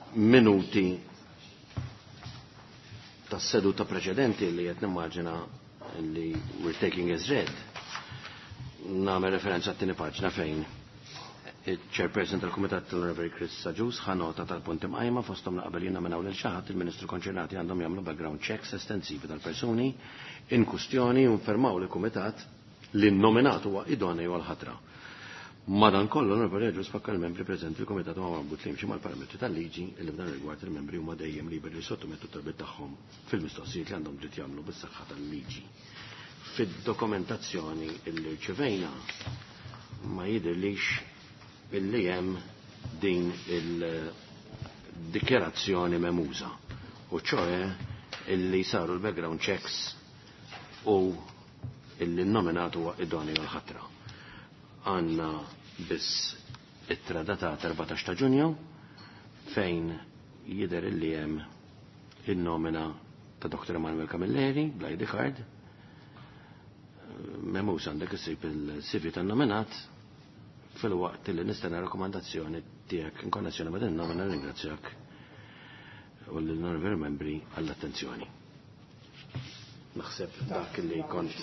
Fil-minuti tas-seduta preċedenti li qed nimmaġina li we're taking as read, nagħmel referenza għat-tieni paġna fejn il-chairperson tal-Kumitat tal-Onorevoli Chris Saġus ħa nota tal-punti mqajma fosthom li qabel jinnominaw lil xi ħadd il-Ministru konċernati għandhom jagħmlu background checks estensivi tal-persuni in kustjoni u nfermaw lill-Kumitat li n-nominat huwa idoneu għall-ħatra. Madankollu l-Onorevoli Agius fakkar il-membri preżenti l-Kumitat huwa marbut li jimxi mal-parametri tal-liġi li f'dan ir-rigward il-membri huma dejjem liberi li jissottomettu t-talbiet tagħhom fil-mistoqsijiet li għandhom dritt jagħmlu bis-saħħa tal-liġi. Fid-dokumentazzjoni li rċevejna ma jidhirlix illi hemm din il-dikjarazzjoni memuża, u ċoe illi saru l-background checks u illi n-nominat huwa idoneu għal-ħatra. Għanna biss ittra datata 14 ta' Ġunju fejn jidher illi hemm in-nomina ta' Dr. Emanuel Camilleri bl-ID card. Memuż għandek issib il-CV tan-nominat fil-waqt li nistenna rakkomandazzjoni tiegħek in konnessjoni ma' din nomina. Ringrazzjak u l-onorevoli membri għall-attenzjoni. Naħseb dak li kont.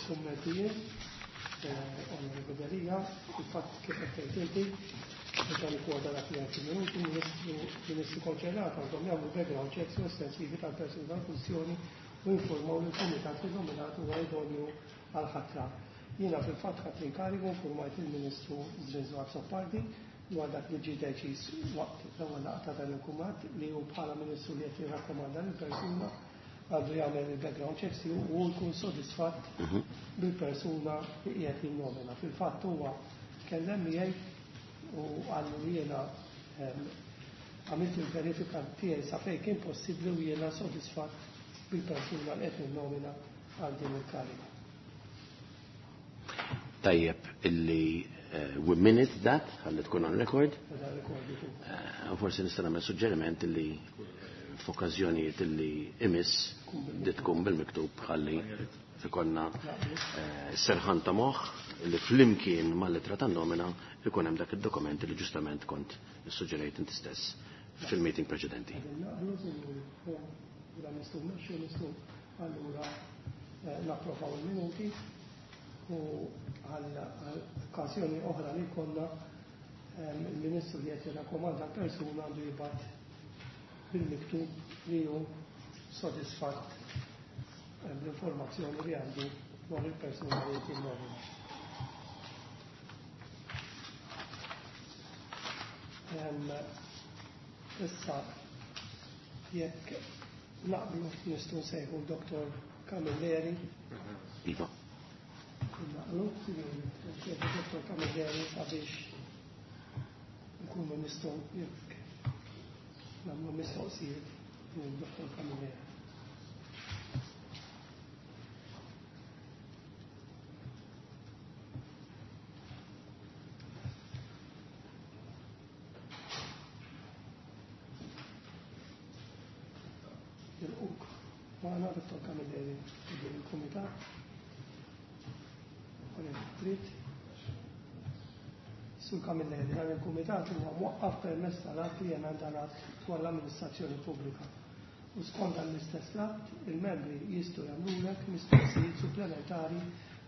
Onorevoli Delia, il-fatt kif qed tgħid inti, meta nikkwota dak li għedt minuti, ministru konċernat għandhom jagħmlu background checks estensivi tal-persuni tal-funzjoni u informaw lill-kumitat li nominat huwa idonju għal-ħatra. Jiena fil-fatt ħadt l-inkarigu, informajt il-Ministru Zrinzo Azzopardi dwar dak li ġie deċiż waqt l-ewwel laqgħa ta' dan il-kumitat, li hu bħala Ministru li qed jirrakkomanda lill-persuna għandu jagħmel il-background checks u jkun sodisfatt bil-persuna li qiegħed jinnomina. Fil-fatt huwa tkellem miegħi u qalli li jiena għamilt il-verifika tiegħi sa fejn kien possibbli u jiena sodisfatt bil-persuna li qed ninnomina għal din il-kariga. Tajjeb illi we minute that, ħalli tkun on record. U forsi nista' nagħmel suġġeriment illi f'okkażjonijiet illi imiss di tkun bil-miktub ħalli ikollna serħan ta' moħħ li flimkien mal-ittra tan-nomina ikun hemm dak id-dokument li ġustament kont issuġġerejt inti stess fil-meeting preċedenti. Allura napprovaw il-minuti u għal okkażjoni oħra li konna il-Ministru li qed jirrakkomanda l-persuna għandu jibgħat bil-miktub li hu sodisfatt bl-informazzjoni li għandu dwar il-persuna li qed jinnomina. Issa jekk naqblu nistgħu nsejħu Dr. Camilleri. Iva. Naqblu, Dr. Camilleri sabiex nkunu nistgħu jekk nagħmlu mistoqsijiet lil Dr. Camilleri. Nilquk magħna Dr. Camilleri il-Kumitat. Trid. Sur Camilleri, dan il-Kumitat huwa mwaqqaf permezz tal-att li jemenda l-att dwar l-amministrazzjoni pubblika. U skont dan l-istess att, il-membri jistgħu jagħmlulek mistoqsijiet supplementari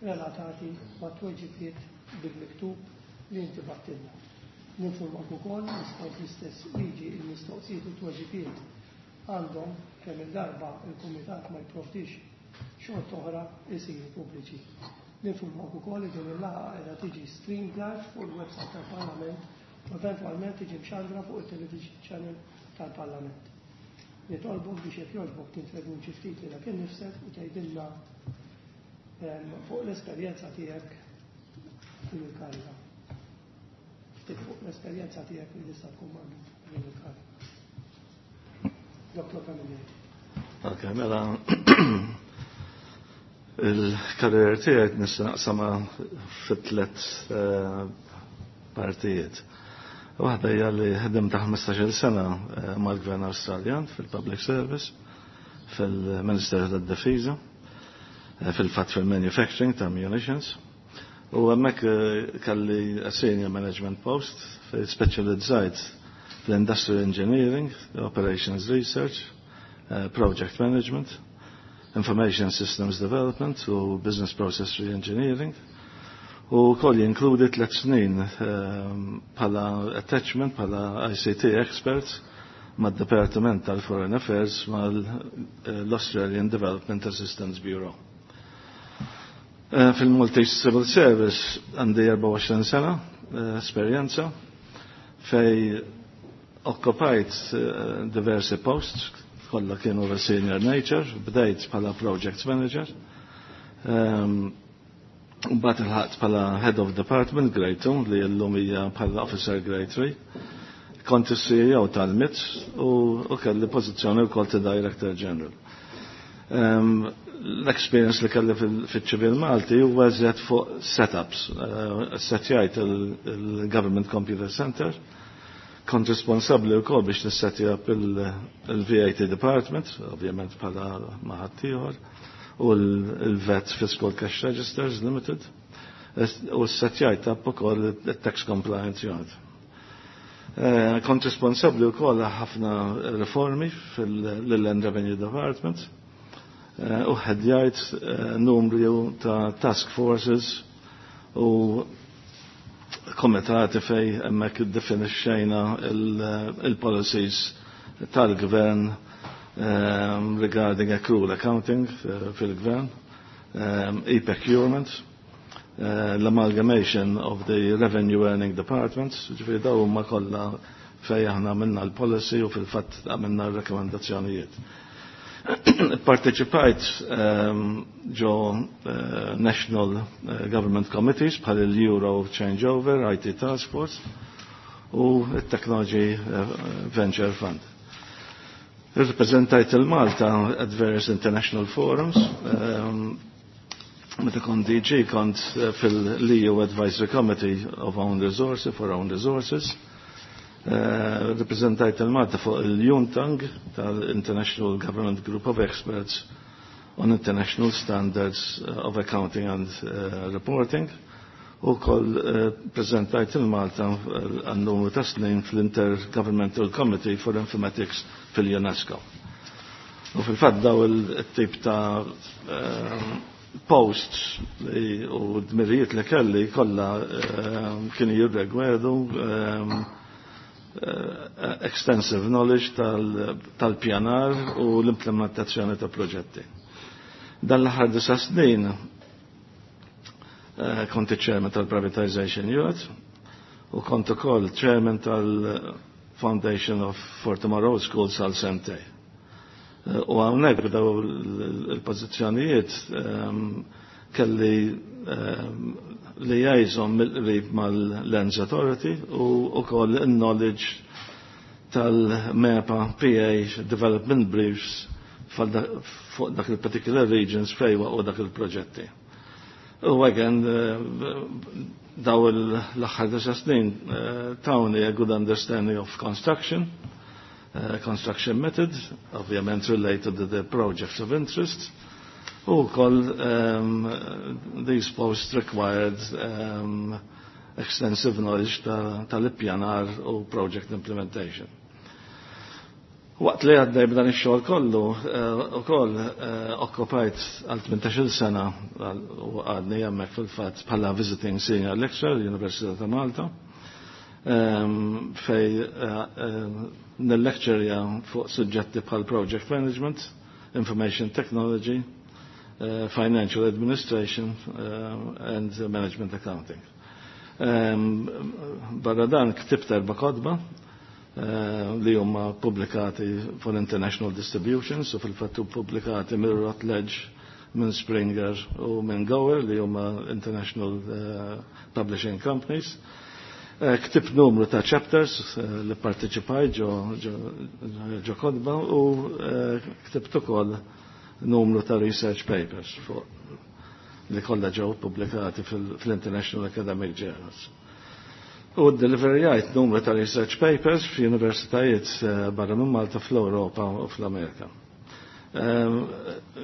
relatati ma' tweġibiet bil-miktub li inti battilna. Ninformak ukoll li skont l-istess liġi il-mistoqsijiet u tweġibiet għandhom kemm il-darba il-Kumitat ma jipprovdix xort oħra isiru pubbliċi. Ninformak ukoll li din il-laqgħa qiegħda tiġi streamed live fuq il-website tal-Parlament u eventwalment tiġi mxandra fuq il-television channel tal-Parlament. Nitolbok biex jekk jogħġbok tintroduċi ftit lilek innifsek u tgħidilna fuq l-esperjenza tiegħek f'din il-kariga. Ftit fuq l-esperjenza tiegħek li tista' tkun marbuta din il-kariga. Dr. Camilleri. Ok, mela il-karriera tiegħek nista' naqsamha fi tliet partijiet. Waħda hija li ħdimt ta' 15-il sena mal-Gvern Awstraljan fil-Public Service, fil-Ministeru tad-Difiża, fil-fatt fil-Manufacturing ta' Munitions. U hemmhekk kelli a senior management post fejn speċjalizzajt fl-industrial engineering, operations research, project management, information systems development u business process reengineering. U koll jinkludi 3 snin bħala attachment, bħala ICT expert mad-Departiment tal-Foreign Affairs mal-Australian Development Assistance Bureau. Fil-Maltese Civil Service għandi 24 sena esperjenza fejn okkupajt diversi posts, kollha kienu of senior nature, bdejt bħala project manager. Mbagħad ilħaqt bħala head of department grade 2 li llum hija bħala officer grade 3. Kont is-CEO tal-MIT u kelli pożizzjoni wkoll ta' director general. L-experience li kelli fil-ċivil Malti huwa eżatt fuq setups. Setjajt il-Government Computer Center, kont responsabli wkoll biex nissetja il-VAT Department, ovvjament bħala ma' ħaddieħor, u l-VAT Fiscal Cash Registers Limited, u s-setjajt ukoll il-Tax Compliance Unit. Kont responsabli wkoll ħafna riformi fil-Land Revenue Department u ħedjajt numru ta' task forces u komitati fejn hemmhekk iddefinixxejna il-policies tal-gvern regarding accrual accounting fil-gvern, e-procurement, l-amalgamation of the revenue earning departments, ġifieri daw huma kollha fejn aħna għamilna l-policy u fil-fatt għamilna l-rekomendazzjonijiet. Parteċipajt ġo National Government Committees bħal il-Euro Changeover, IT Task Force u il-Technology Venture Fund. Reprezentajt il-Malta at various international forums. Meta kont DG kont fil-EU Advisory Committee of Own Resources for Own Resources. Reprezentajt il-Malta fuq il-UNTAG tal-International Government Group of Experts on International Standards of Accounting and Reporting u koll prezentajt il-Malta għal numru ta' snin fl-Intergovernmental Committee for Informatics fil-UNESCO. U fil-fatt daw il-tip ta' posts u dmirijiet li kelli kollha kienu jirrigwardaw extensive knowledge tal-pjanar u l-implementazzjoni ta' proġetti. Dan l-aħħar 9 snin kont chairman tal-Privatization Unit u kont ukoll chairman tal-Foundation of for Tomorrow Schools għal sentejn. U hawnhekk b'daw il-pożizzjonijiet kelli liaison mill-qrib mal-Lands Authority u ukoll il-knowledge tal-MEPA PA Development Briefs fuq dak il-particular regions fejn u dak il-proġetti. U again, daw l-aħħar 9 snin tawni a good understanding of construction, construction method, ovvjament related to the projects of interest, u koll these posts required extensive knowledge tal-ippjanar u project implementation. Waqt li għaddej b'dan ix-xogħol kollu, ukoll okkupajt għal 18-il sena u għadni hemmhekk fil-fatt bħala visiting senior lecturer l-Università ta' Malta, fejn nil-lecturja fuq suġġetti bħal project management, information technology, financial administration and management accounting. Barra dan ktibt erba' kotba li huma pubblikati for international distributions u fil-fattu pubblikati minn Routledge, minn Springer u minn Gower li huma international publishing companies. Ktibt numru ta' chapters li parteċipaj ġo kotba u ktibt ukoll numru ta' research papers fuq li kollha ġew pubblikati fil-International Academic Journals. U deliverjajt numru ta' research papers f'universitajiet barra minn Malta, fl-Europa u fl-Amerika.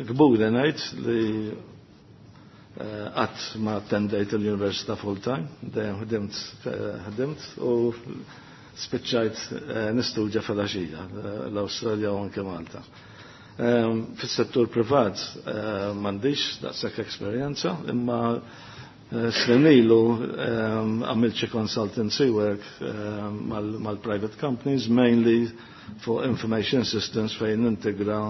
Kburi ngħid li Qatt ma attendejt l-università full time, dejjem ħdimt u spiċċajt nistudja filgħaxija l-Awstralja u anke Malta. Fis-settur privat m'għandix daqshekk esperjenza, imma snin ilu għamilt xi consultancy work mal-private companies, mainly for information systems fejn nintegra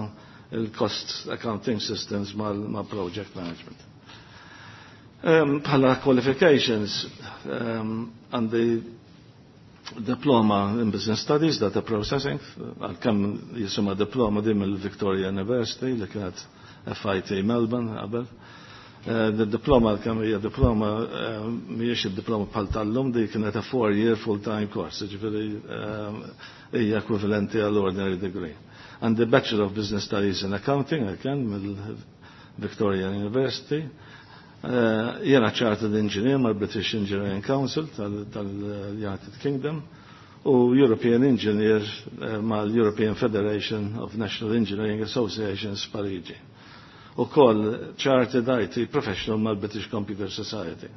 il-cost accounting systems mal-project management. Bħala qualifications, għandi diploma in Business Studies, Data Processing, għalkemm jisimha diploma din mill-Victoria University li kienet FIT Melbourne qabel. The diploma, kemm hija diploma, mhijiex id-diploma bħal tal-lum, di kienet a 4-year full-time course, ġifieri hija ekwivalenti għall ordinary degree. Għandi Bachelor of Business Studies in Accounting, again, mill-Victoria University. Jena Chartered Engineer mal-British Engineering Council tal-United Kingdom u European Engineer mal-European Federation of National Engineering Associations Parigi. U koll Chartered IT Professional mal-British Computer Society.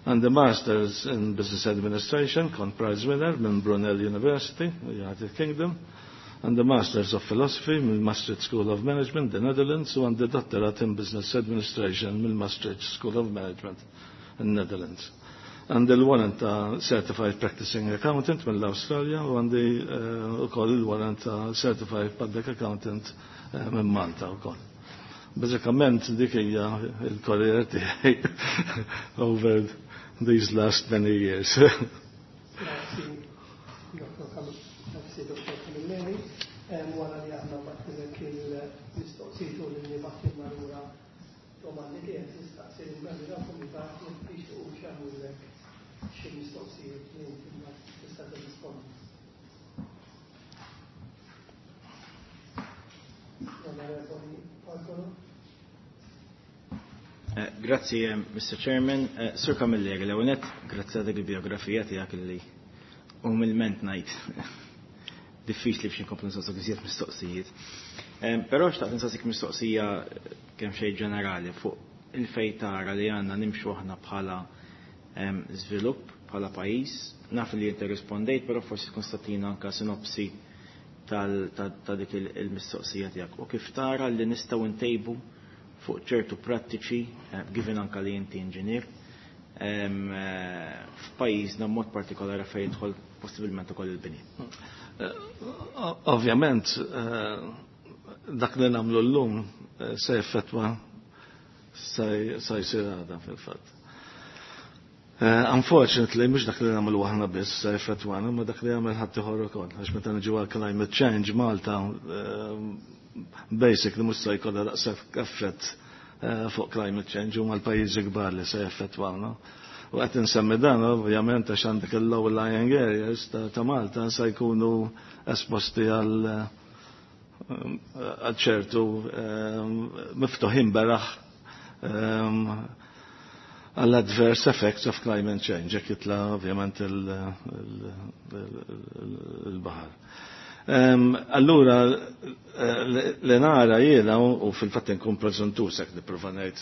And the Masters in Business Administration, kont prize winner minn Brunel University, United Kingdom, and the Masters of Philosophy mill Maastricht School of Management, the Netherlands, u għandi Doctorate in Business Administration mill Maastricht School of Management, in the Netherlands. Għandi l-warrant ta' Certified Practicing Accountant mill-Australia u għandi ukoll il-warrant ta' Certified Public Accountant minn Malta ukoll. Bażikament dik hija il-karriera tiegħi over these last many years. Grazzi, Dr. Grazzi, Dr. Camilleri. Wara li aħna bgħattilek il-mistoqsijiet u li bgħattilna lura domandi tiegħek, nistaqsi lill-membri tal-kumitat jekk jixtiequx jagħmlulek xi mistoqsijiet li inti mbagħad tista' tirrispondi. Onorevoli Bartolo. Grazzi, Mr. Chairman. Sur Camilleri, l-ewwel nett, grazzi għal dik il-biografija tiegħek li umilment ngħid diffiċli biex inkomplu nsaqsuk iżjed mistoqsijiet. Però xtaqt nsaqsik mistoqsija kemm xejn ġenerali fuq il-fejn tara li għandna nimxu aħna bħala żvilupp, bħala pajjiż. Naf li inti rispondejt, però forsi tkun tagħtina anke sinopsi ta' dik il-mistoqsija tiegħek. U kif tara li nistgħu ntejbu fuq ċertu prattiċi, given anka li inti inġinier, f'pajjiżna mod partikolari fejn jidħol possibilment ukoll il-bini. Ovvjament, dak li nagħmlu llum se jeffettwa se jsir għada fil-fatt. Unfortunately, mhux dak li nagħmlu aħna biss se jeffettwana, ma dak li jagħmel ħadd ieħor ukoll. Għax meta niġu għal climate change Malta basically mhux se jkollha daqshekk effett fuq climate change, huma l-pajjiżi kbar li se jeffettwawna. U qed insemmi dan ovvjament għax għandek il-low lying areas ta' Malta se jkunu esposti għal ċertu miftuħin beraħ għall adverse effects of climate change, jekk jitla ovvjament il-baħar. Allura, li nara jiena, u fil-fatt nkun preżentuż jekk nipprova ngħid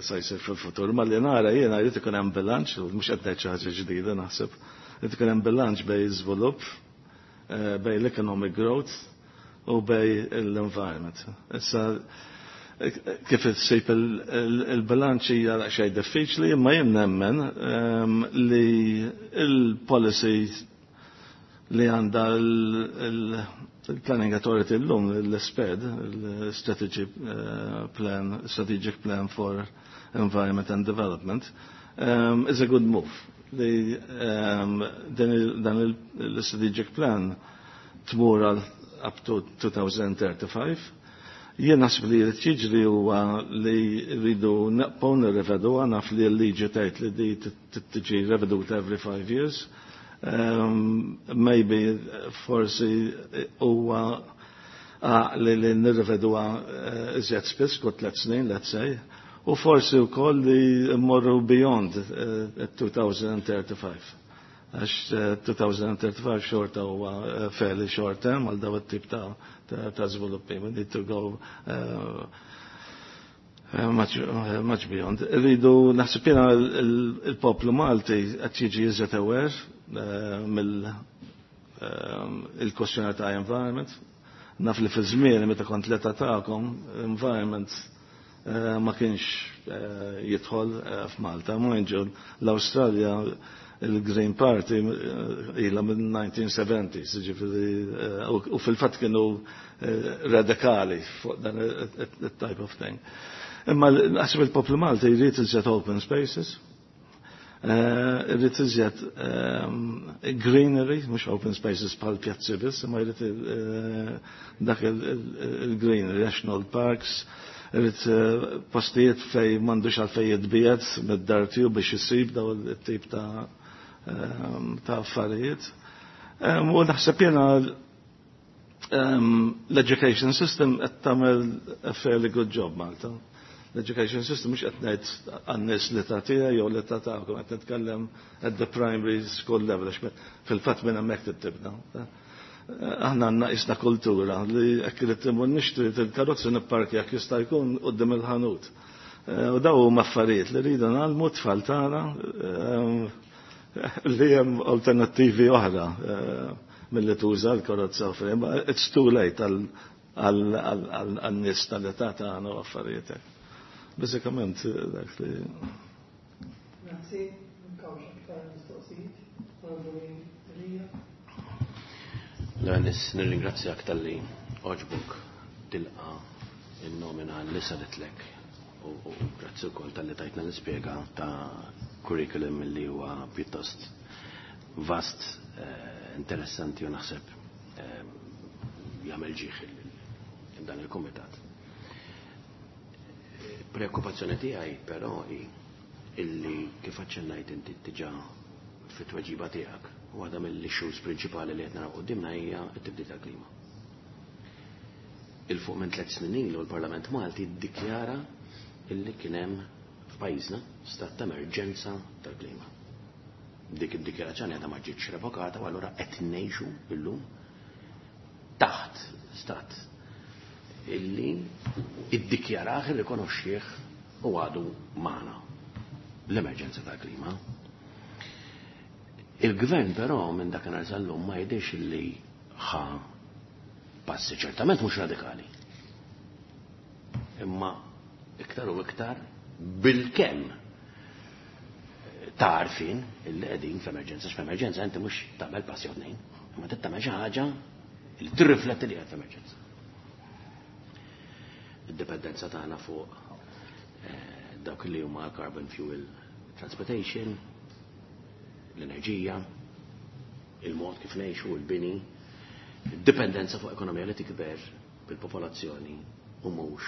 se jsir fil-futur, ma li nara jiena jrid ikun hemm bilanċ, u mhux qed ngħid xi ħaġa ġdida naħseb, jrid ikun hemm bilanċ bejn iżvilupp, bejn l-economic growth u bejn l-environment. Issa, kif issib il-bilanċ hija xejn diffiċli, imma jien nemmen li il-policy li għandha il-Planning Authority l-lum, l-SPED, l-Strategic Plan, Strategic Plan for Environment and Development, is a good move. Li dan il-Strategic Plan tmur għal up to 2035. Jien naħseb li jrid jiġri huwa li rridu naqbgħu nirreveduha, naf li l-liġi tgħid li di tiġi reveduta every 5 years. Maybe forsi huwa li nirreveduha iżjed spiss, kull 3 snin, let's say, u forsi wkoll li mmorru beyond 2035. Għax 2035 xorta huwa fairly short term għal daw it-tip ta' żviluppi. We need to go Much, much beyond. Rridu naħseb jiena il-poplu Malti qed jiġi iżjed aware mill il-kwestjoni ta' environment. Naf li fi żmien meta kont l-età tagħkom, environment ma kienx jidħol f'Malta. Mind you, l-Awstralja il-Green Party ilha minn 1970s, ġifieri, u fil-fatt kienu radikali fuq dan it-type of thing. Imma naħseb il-poplu Malti jrid iżjed open spaces, irrid iżjed greenery, mhux open spaces bħal pjazzi biss, imma jrid dak il-greenery, national parks, irrid postijiet fej m'għandux għalfej jitbiegħed mid-dar tiegħu biex isib daw it-tip ta' affarijiet. U naħseb jiena l-education system qed tagħmel a fairly good job Malta. L-education system mhux qed ngħid għan-nies li ta' tiegħi jew li ta' tagħkom, qed nitkellem at the primary school level, għax fil-fatt minn hemmhekk tibda. Aħna għandna isna kultura li jekk irid imur nixtri il-karozzi nipparkja jekk jista' jkun quddiem il-ħanut. U daw huma affarijiet li rridu ngħallmu t-tfal tagħna li hemm alternattivi oħra milli tuża l-karozza oħra. It's too late għal-nies tal-età tagħna u affarijiet hekk. Bażikament dak li. Grazzi, nkawx aktar mistoqsijiet. Onorevoli Delia. L-għanis nirringrazzjak tal-li oġbuk tilqa il-nomina li saritlek u grazzi wkoll tal-li tajtna l-ispjega ta' curriculum li huwa pjuttost vast, interessanti u naħseb jagħmel ġieħ dan il-kumitat. Preokkupazzjoni tiegħi però hi illi kif aċċennajt inti diġà fit-tweġiba tiegħek, waħda mill-issues prinċipali li qed naraw quddiemna hija t-tibdil tal-klima. Il-fuq minn 3 snin ilu l-Parlament Malti ddikjara illi kien hemm f'pajjiżna stat ta' emerġenza tal-klima. Dik id-dikjarazzjoni għadha ma ġietx revokata u allura qed ngħixu illum taħt stat illi iddikjarah, irrikonoxxih u għadu magħna l-emerġenza tal-klima. Il-gvern però minn dakinhar sal-lum ma jidhirx illi ħa passi ċertament mhux radikali. Imma iktar u iktar bil-kemm tarfin illi qegħdin f'emerġenza, x'f'emerġenza inti mhux tagħmel passi jew tnejn, imma trid tagħmel xi ħaġa li tirrifletti li qed f'emerġenza. Id-dipendenza tagħna fuq dawk li huma carbon fuel transportation, l-enerġija, il-mod kif ngħixu, il-bini, id-dipendenza fuq ekonomija li tikber bil-popolazzjoni u mhux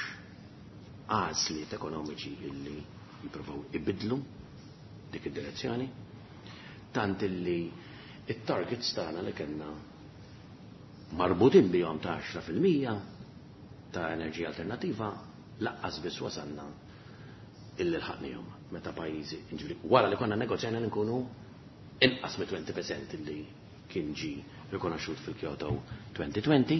għażliet ekonomiċi illi jippruvaw ibidlu dik id-direzzjoni, tant illi it-targets tagħna li kellna marbutin bihom ta' 10% ta' enerġija alternativa laqqas biss wasalna illi lħaqnihom meta pajjiżi, ġifieri wara li konna negozjajna li nkunu inqas mit 20% illi kien ġi rikonoxxut fil-Kyoto 2020,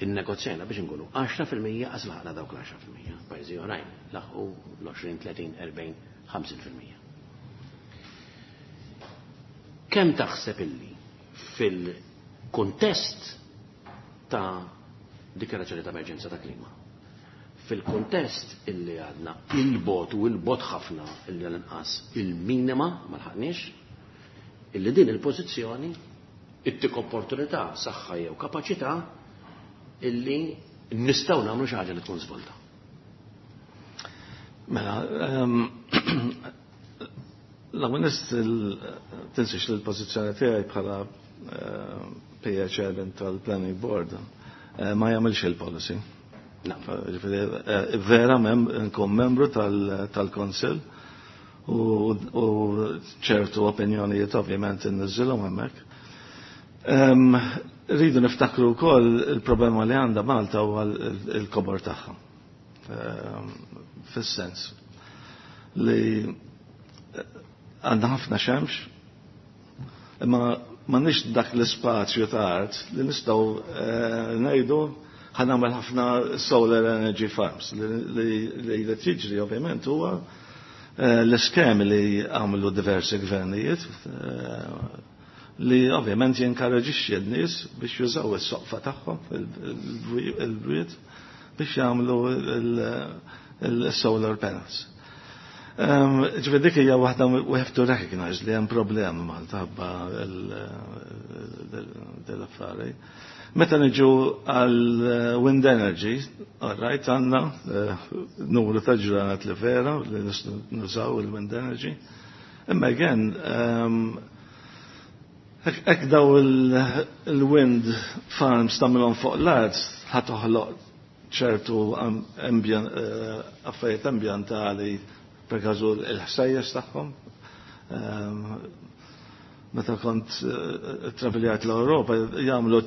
innegozjajna biex nkunu 10% qas laħqna dawk l-10%. Pajjiżi oħrajn laħqu l-20, 30, 40, 50%. Kemm taħseb illi fil-kuntest ta' dikjarazzjoni ta' emerġenza ta' klima, fil-kuntest illi għadna il-bot u il-bot ħafna illi l-inqas il-minima ma lħaqniex, illi din il-pożizzjoni ittik opportunità, saħħa jew kapaċità illi nistgħu nagħmlu xi ħaġa li tkun żvolta. Mela, l-għamil tinsiex li l-pożizzjoni tiegħi bħala PA Chairman tal-Planning Board ma jagħmilx il-policy. Ġifieri, vera nkun membru tal-Konsil u ċertu opinjonijiet ovvjament inniżilhom hemmhekk. Rridu niftakru wkoll il-problema li għandha Malta huwa l-kobor tagħha. Fis-sens li għandna ħafna xemx, imma m'għandniex dak l-ispazju ta' art li nistgħu ngħidu Ħa nagħmel ħafna solar energy farms li tiġri ovvjament huwa l-iskemi li għamlu diversi gvernijiet li ovvjament jinkoraġixxi n-nies biex jużaw is-soqfa tagħhom il-bwiet biex jagħmlu il-solar panels. Ġifieri dik hija waħda, we have to recognize li hemm problemi Malta ħabba l-affari. Meta niġu għal wind energy, all right, għandna numru ta' ġranet li vera li nużaw il-wind energy. Imma again, hekk daw il-wind farms tagħmilhom fuq l-art, ħa toħloq ċertu affarijiet ambjentali, per każu il-ħsejjes tagħhom. Meta kont traveljat l-Ewropa, jagħmlu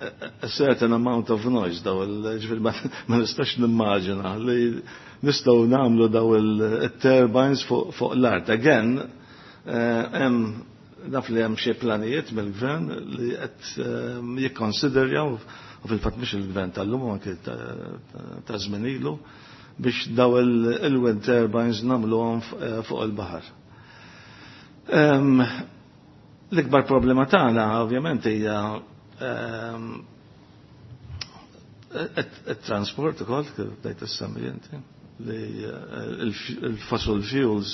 a certain amount of noise daw il-ġifieri ma nistax nimmaġina li nistgħu nagħmlu daw il-turbines fuq l-art. Again, hemm naf li hemm xi planijiet mill-gvern li qed jikkonsiderjaw, u fil-fatt mhux il-gvern tal-lum, anke ta' żmien ilu, biex daw il-wind turbines nagħmluhom fuq il-baħar. L-ikbar problema tagħna ovvjament hija it-transport ukoll, kif bdejt issemmi inti, li il-fossil fuels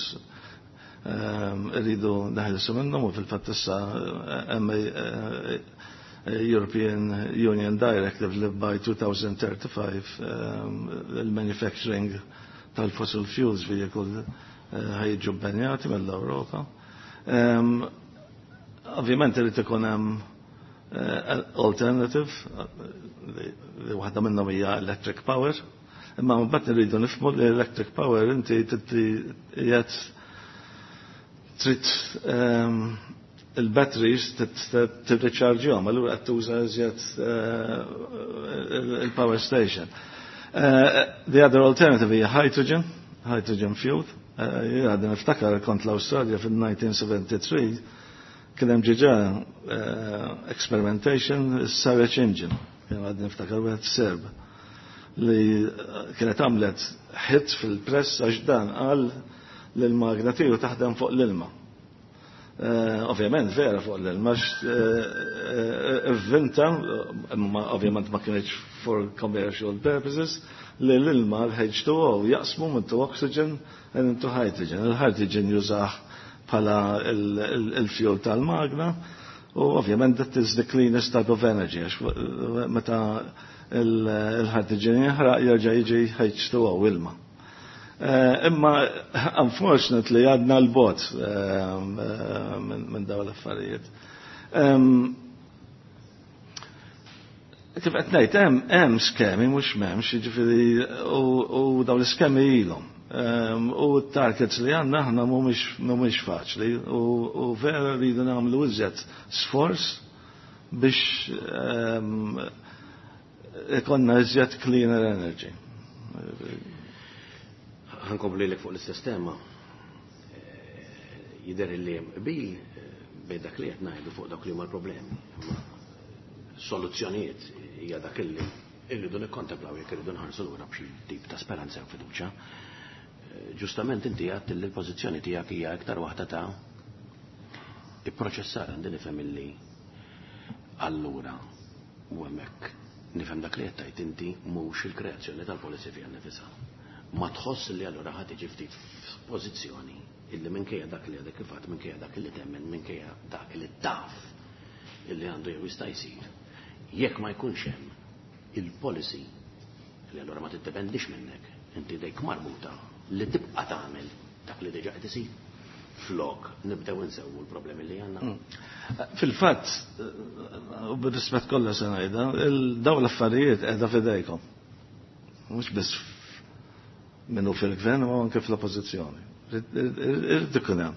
irridu neħilsu minnhom, u fil-fatt issa hemm European Union Directive li by 2035 il-manufacturing tal-fossil fuels vehicle ħa jiġu bbanjati mill-Ewropa. Ovvjament irid ikun hemm alternative li waħda minnhom hija electric power. Imma mbagħad irridu nifhmu li electric power inti qiegħed trid il-batteries tirriċarġjhom, allura qed tuża iżjed il-power station. The other alternative hija hydrogen, hydrogen fuel. Għadni niftakar kont l-Awstralja fil-1973, kien hemm ġiġa experimentation, Saric engine, kien għadni niftakar wieħed Serb li kienet għamlet hit fil-press għax dan qal li l-magna tiegħu taħdem fuq l-ilma. Ovvjament vera fuq l-ilma, ivvinta, imma ovvjament ma kienx for commercial purposes, li l-ilma l-H2O jaqsmu into oxygen and into hydrogen. Il-hydrogen jużah bħala il-fuel tal-magna u ovvjament that is the cleanest type of energy, għax meta il-hydrogen jinħraq jerġa' jiġi H2O, ilma. Imma unfortunately għadna 'l bogħod minn dawn l-affarijiet. Kif qed ngħid, hemm skemi, mhux m'hemmx, jiġifieri u dawn l-iskemi ilhom. U t-targets li għandna aħna mhumiex faċli u vera rridu nagħmlu iżjed sforz biex ikollna iżjed cleaner energy. Ħa nkompli lek fuq l-istess tema. Jidher li hemm qbil bejn dak li qed ngħidu fuq dak li huma l-problemi. Imma soluzzjonijiet hija dak illi irridu nikkontemplaw jekk irridu nħarsu lura b'xi tip ta' speranza u fiduċja. Ġustament inti għedt li l-pożizzjoni tiegħek hija iktar waħda ta' ipproċessar. Għandi nifhem illi allura, u hemmhekk nifhem dak li qed tgħid inti, mhux il-kreazzjoni tal-policy fiha nnifisha. Ma tħoss li allura ħa tiġi ftit f'pożizzjoni illi minkejja dak li għadek kif għedt, minkejja dak li temmen, minkejja dak li taf illi għandu jew jista' jsir, jekk ma jkunx hemm il-policy li allura ma tiddependix minnek, inti dejk marbuta li tibqa' tagħmel dak li diġà qed isir flok nibdew insewwu l-problemi li għandna? Fil-fatt, u bir-rispett kollha se ngħidha, dawn l-affarijiet qiegħda f'idejkom. Mhux biss minnu fil-gvern u anke fl-oppożizzjoni. Irid ikun hemm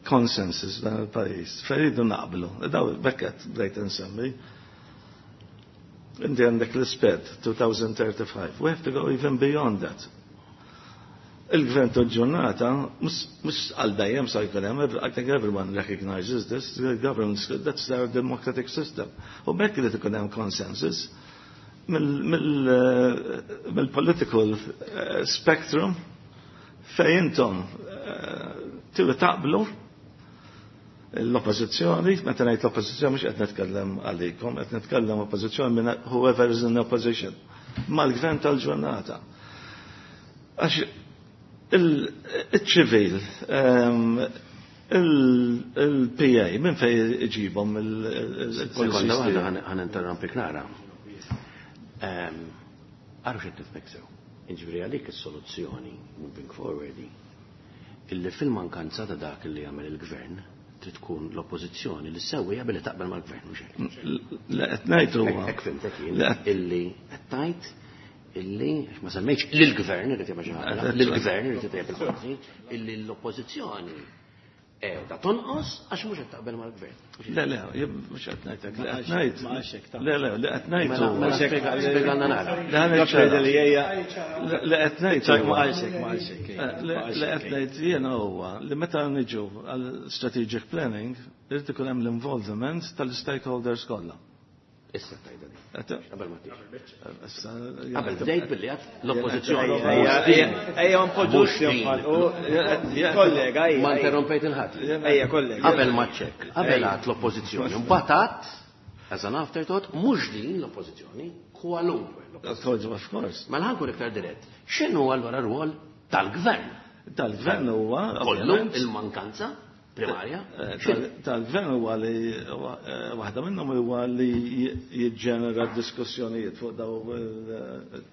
consensus dan il-pajjiż. Fejn iridu naqblu. Daw bekket bdejt insemmi. Inti għandek l-SPED 2035. We have to go even beyond that. Il-gvern tal-ġurnata, mhux għal dejjem sa jkun hemm, I think everyone recognizes this, the government, that's our democratic system. U bekk li ikun hemm consensus. mill-political spectrum fejn intom tridu taqblu l-oppożizzjoni, meta ngħid l-oppożizzjoni mhux qed nitkellem għalikom, qed nitkellem oppożizzjoni minn whoever is in opposition, mal-gvern tal-ġurnata. Għax il-ċivil, il-PA, minn fejn iġibhom il-policies? Sekonda waħda ħa ninterrompik nara. Għarru xed tifmek sew. Jiġifieri għalik is-soluzzjoni moving forward illi fil-mankanza ta' dak li jagħmel il-gvern trid tkun l-oppożizzjoni li sewwija billi taqbel mal-gvern, mhux hekk? Le qed ngħid huwa. Hekk fhimtek jien illi qed tgħid illi ma semmejtx lill-gvern irid jagħmel xi ħaġa, lill-gvern irid itejjeb il-policy, illi l-oppożizzjoni qiegħda tonqos għax mhux qed taqbel mal-gvern. Le, le, mhux qed ngħidlek, li qed ngħid. Le, le, li qed ngħid. Mela spjegalna nara. Li qed ngħid. Ma qalx hekk, ma qalx hekk. Li qed ngħid jiena huwa li meta niġu għal strategic planning irid ikun hemm l-involvement tal-stakeholders kollha. Issa tajda di. Qabel ma tix. Qabel bdejt billi għat l-oppożizzjoni. Ejja, npoġġux kollega, ejja. Ma interrompejt il-ħadd. Ejja, kollega. Qabel ma ċek, qabel għat l-oppożizzjoni. Mbagħad għat, as an afterthought, mhux din l-oppożizzjoni, kwalunkwe. Of course. Mela ħa nkun iktar dirett. X'inhu allura r-rwol tal-gvern? Tal-gvern huwa kollu il-mankanza primarja? Tal-gvern huwa li waħda minnhom huwa li jiġġenera diskussjonijiet fuq daw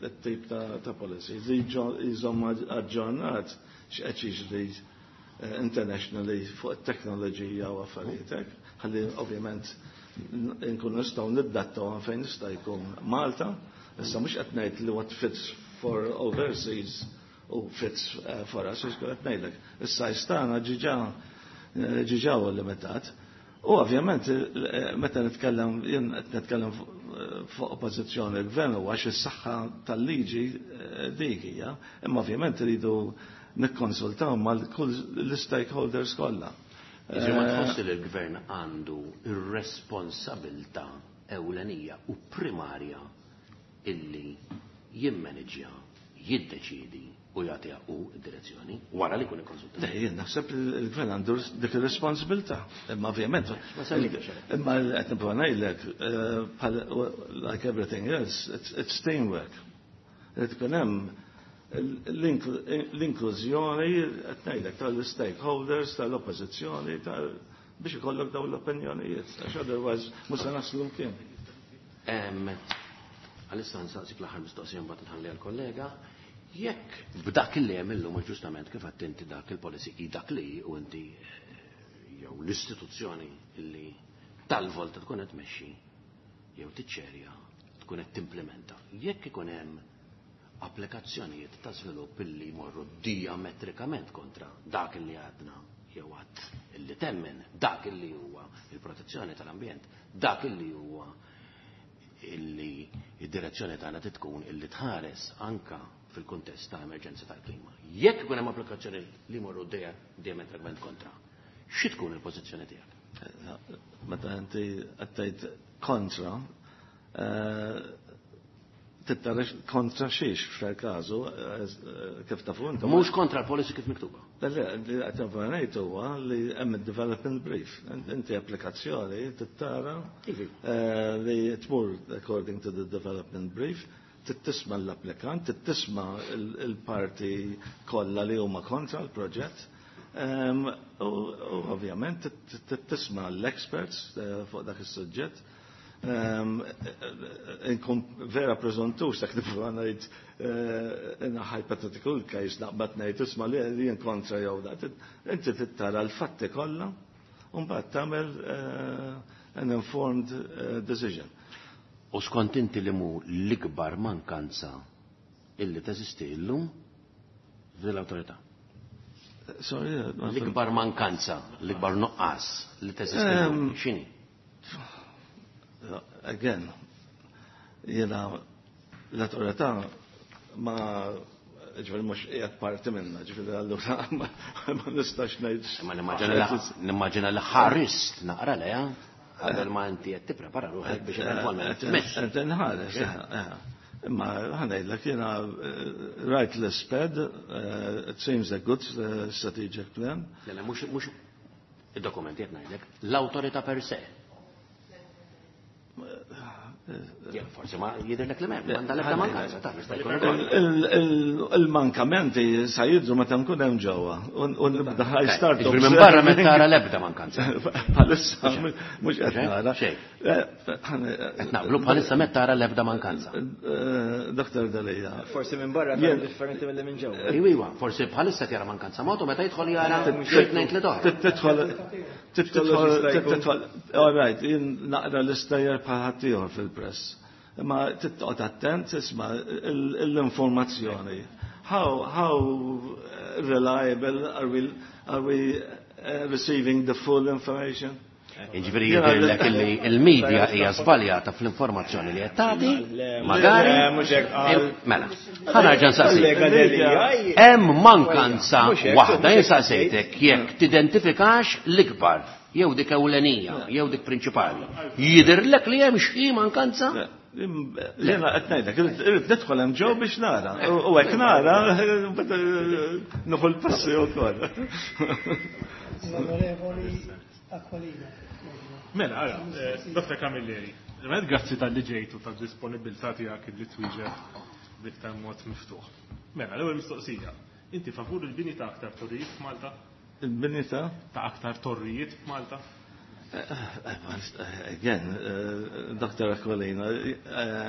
it-tip ta' policies, li jżomm aġġornat x'qed jiġri internationally fuq it-teknoloġija u affarijiet hekk, ħalli ovvjament nkun nistgħu niddattaw fejn nista' jkun Malta, issa mhux qed ngħid li what fits for overseas u fits for us, qed ngħidlek. Issa tagħna ġiġa huwa limitat. U ovvjament meta nitkellem jien qed nitkellem fuq oppożizzjoni l-gvern huwa għax is-saħħa tal-liġi dik hija, imma ovvjament iridu nikkonsultaw mal kull l-stakeholders kollha. Jiġifieri ma tħossi li l-gvern għandu ir-responsabilità ewlenija u primarja illi jimmanġja, jiddeċidi u jagħtiha u d-direzzjoni wara li jkun ikkonsultat? Le, jien naħseb il-gvern għandu dik ir-responsabilità. Imma ovvjament, imma qed nipprova ngħidlek, like everything else, it's teamwork. Irid ikun hemm l-inklużjoni qed ngħidlek tal-stakeholders, tal-oppożizzjoni, biex ikollok dawn l-opinjonijiet, għax otherwise mhux se naslu mkien. Għalissa nsaqsik l-aħħar mistoqsija, mbagħad nħalli għall-kollega. Jekk b'dak li hemm illum, ġustament kif għedt inti, dak il-policy hi dak li u inti jew l-istituzzjoni illi tal-volta tkun qed tmexxi jew tiċċerja tkun qed timplementa. Jekk ikun hemm applikazzjonijiet ta' żvilupp illi jmorru diametrikament kontra dak illi għadna jew għad illi temmen, dak illi huwa il-protezzjoni tal-ambjent, dak illi huwa illi id-direzzjoni tagħna tkun illi tħares anka fil-kuntest ta' emerġenza tal-klima. Jekk ikun hemm applikazzjoni li jmorru diametrikament kontra, xi tkun il-pożizzjoni tiegħek? Meta inti qed kontra, tittara kontra xiex f'każu, kif tafu intom. Mhux kontra l-policy kif miktuba. Le, li qed ngħid huwa li hemm development brief. Inti applikazzjoni tittara li tmur according to the development brief, tisma' l-applikant, tisma' il-parti kollha li huma kontra l-proġett. U ovvjament tisma' l-experts fuq dak is-suġġett. Inkun vera preżuntus dak li ngħid in a hypothetical case naqbad ngħid isma' li jien kontra jew dak. Inti tittara l-fatti kollha u mbagħad tagħmel an informed decision. U skont inti li mu l-ikbar mankanza illi teżisti illum f'din l-awtorità? Sorry, L-ikbar mankanza, l-ikbar nuqqas li teżisti illum, x'inhi? Again, jiena l-awtorità ma ġifieri mhux qiegħed parti minna, ġifieri allura ma nistax ngħid. Ma nimmaġina li ħarist naqra leha. Qabel ma inti qed tipprepara ruħek biex eventwalment tmexxi. Qed inħares. Imma ħa ngħidlek jiena rajt l-SPED, it seems a good strategic plan. Le, mhux id-dokumenti qed ngħidlek, l-awtorità per se. Forsi ma jidhirlek li m'hemm, m'għandha l-ebda mankanza, taf jista' jkun ukoll. Il-mankamenti sa jidhru meta nkun hemm ġewwa. U nibda I start Jiġifieri minn barra m'qed tara l-ebda mankanza. Bħalissa mhux qed nara. Xejn. Qed naqblu bħalissa m'qed tara l-ebda mankanza. Dr. Delia. Forsi minn barra tara differenti milli minn ġewwa. Iwa, forsi bħalissa tjara mankanza mod u meta jidħol jara xi tnejn tliet oħra. Tidħol tidħol, all right, jien naqra l-istejjer bħal ħaddieħor fil-press. Imma titqgħod attent isma' l-informazzjoni. How reliable are we receiving the full information? Jiġifieri jidhirlek illi il-medja hija żbaljata fl-informazzjoni li qed tagħti, magari. Mela, ħa nerġa' nsaqsik. Hemm mankanza waħda jien saqsejtek jekk tidentifikax l-ikbar jew dik ewlenija, jew dik prinċipali. Jidhirlek li hemm xi mankanza? Jiena qed ngħidlek, irrid nidħol hemm ġew biex nara. U hekk nara, nieħu l-passi wkoll. L-Onorevoli Aquilina. Mela, ara, Dr. Camilleri, grazzi talli ġejtu tad-disponibilità tiegħek li twieġeb b'iktar mod miftuħ. Mela, l-ewwel mistoqsija. Inti favur il-bini ta' aktar torrijiet f'Malta? Il-bini ta'? Ta' aktar torrijiet f'Malta? Again, Dr. Aquilina,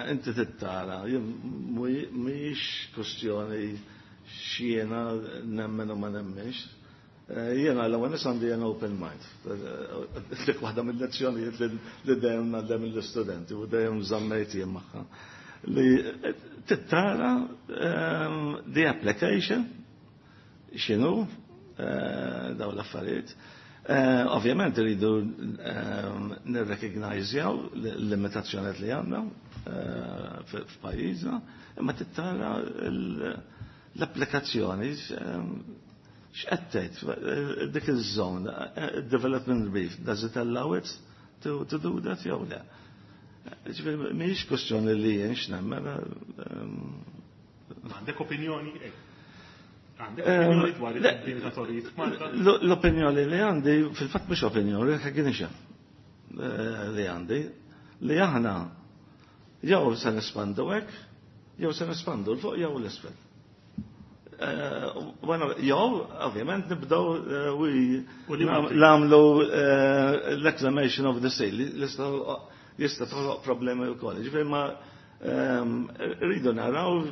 inti tittara, mhijiex kwestjoni x'jiena nemmen u ma nemmenx. Jiena l-ewwel nies għandi an open mind. Dik waħda mill-lezzjonijiet li dejjem ngħallem lill-istudenti u dejjem żammejt jien magħha. Li tittara the application x'inhu dawn l-affarijiet. Ovvjament rridu nirrekognizjaw l-limitazzjonijiet li għandna f'pajjiżna, imma tittara l-applikazzjoni x'qed tgħid dik iż-żone, development brief, does it allow it to do that jew le? Ġifieri mhijiex kwestjoni li jien x'nemmen. Għandek opinjoni? Għandek opinjoni dwar il-bini ta' torrijiet f'Malta? L-opinjoni li għandi, fil-fatt mhux opinjoni, recognition li għandi, li aħna jew se nespandu hekk, jew se nespandu 'l fuq jew 'l isfel. Jew, ovvjament, nibdew nagħmlu l-reclamation of the sea, li jista' toħloq problemi wkoll. Ġifieri ma rridu naraw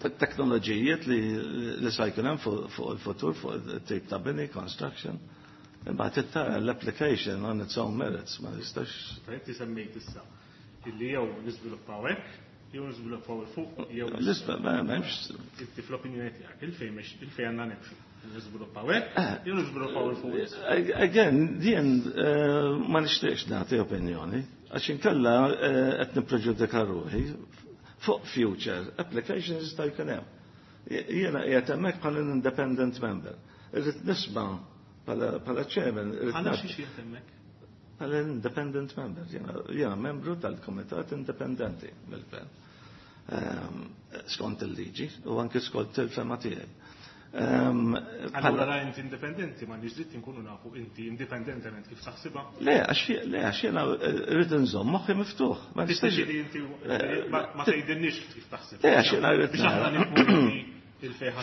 teknoloġijiet li sa jkun hemm fuq il-futur, fuq it-tip ta' bini, construction. Imbagħad tara l-application on its own merits, ma jistax. Inti semmejt issa illi jew niżviluppaw hekk, jew niżviluppaw 'il fuq, jew L-isfel, ma m'hemmx. Inti fl-opinjoni tiegħek, il-fejn għandna nimxu. Niżviluppaw hekk, jew niżviluppaw 'il fuq. Again, jien ma nixtieqx nagħti opinjoni, għax inkella qed nippreġudika ruħi fuq future applications jista' jkun hemm. Jiena qiegħed hemmhekk bħala independent member. Irrid nisma' bħala chairman. Għala xi qiegħed hemmhekk? Bħala independent member. Jiena membru tal-komitat indipendenti mill-gvern. Skont il-liġi u anke skont il-fehma tiegħi. Allura la inti indipendenti ma nix dritt inkunu nafu inti indipendentement kif taħsibha? Le, għax jiena rrid inżomm moħħi miftuħ. Ma nistax li inti ma tgħidilniex kif taħsibha. Le, għax jiena rrid Biex aħna nifhmu il-fejn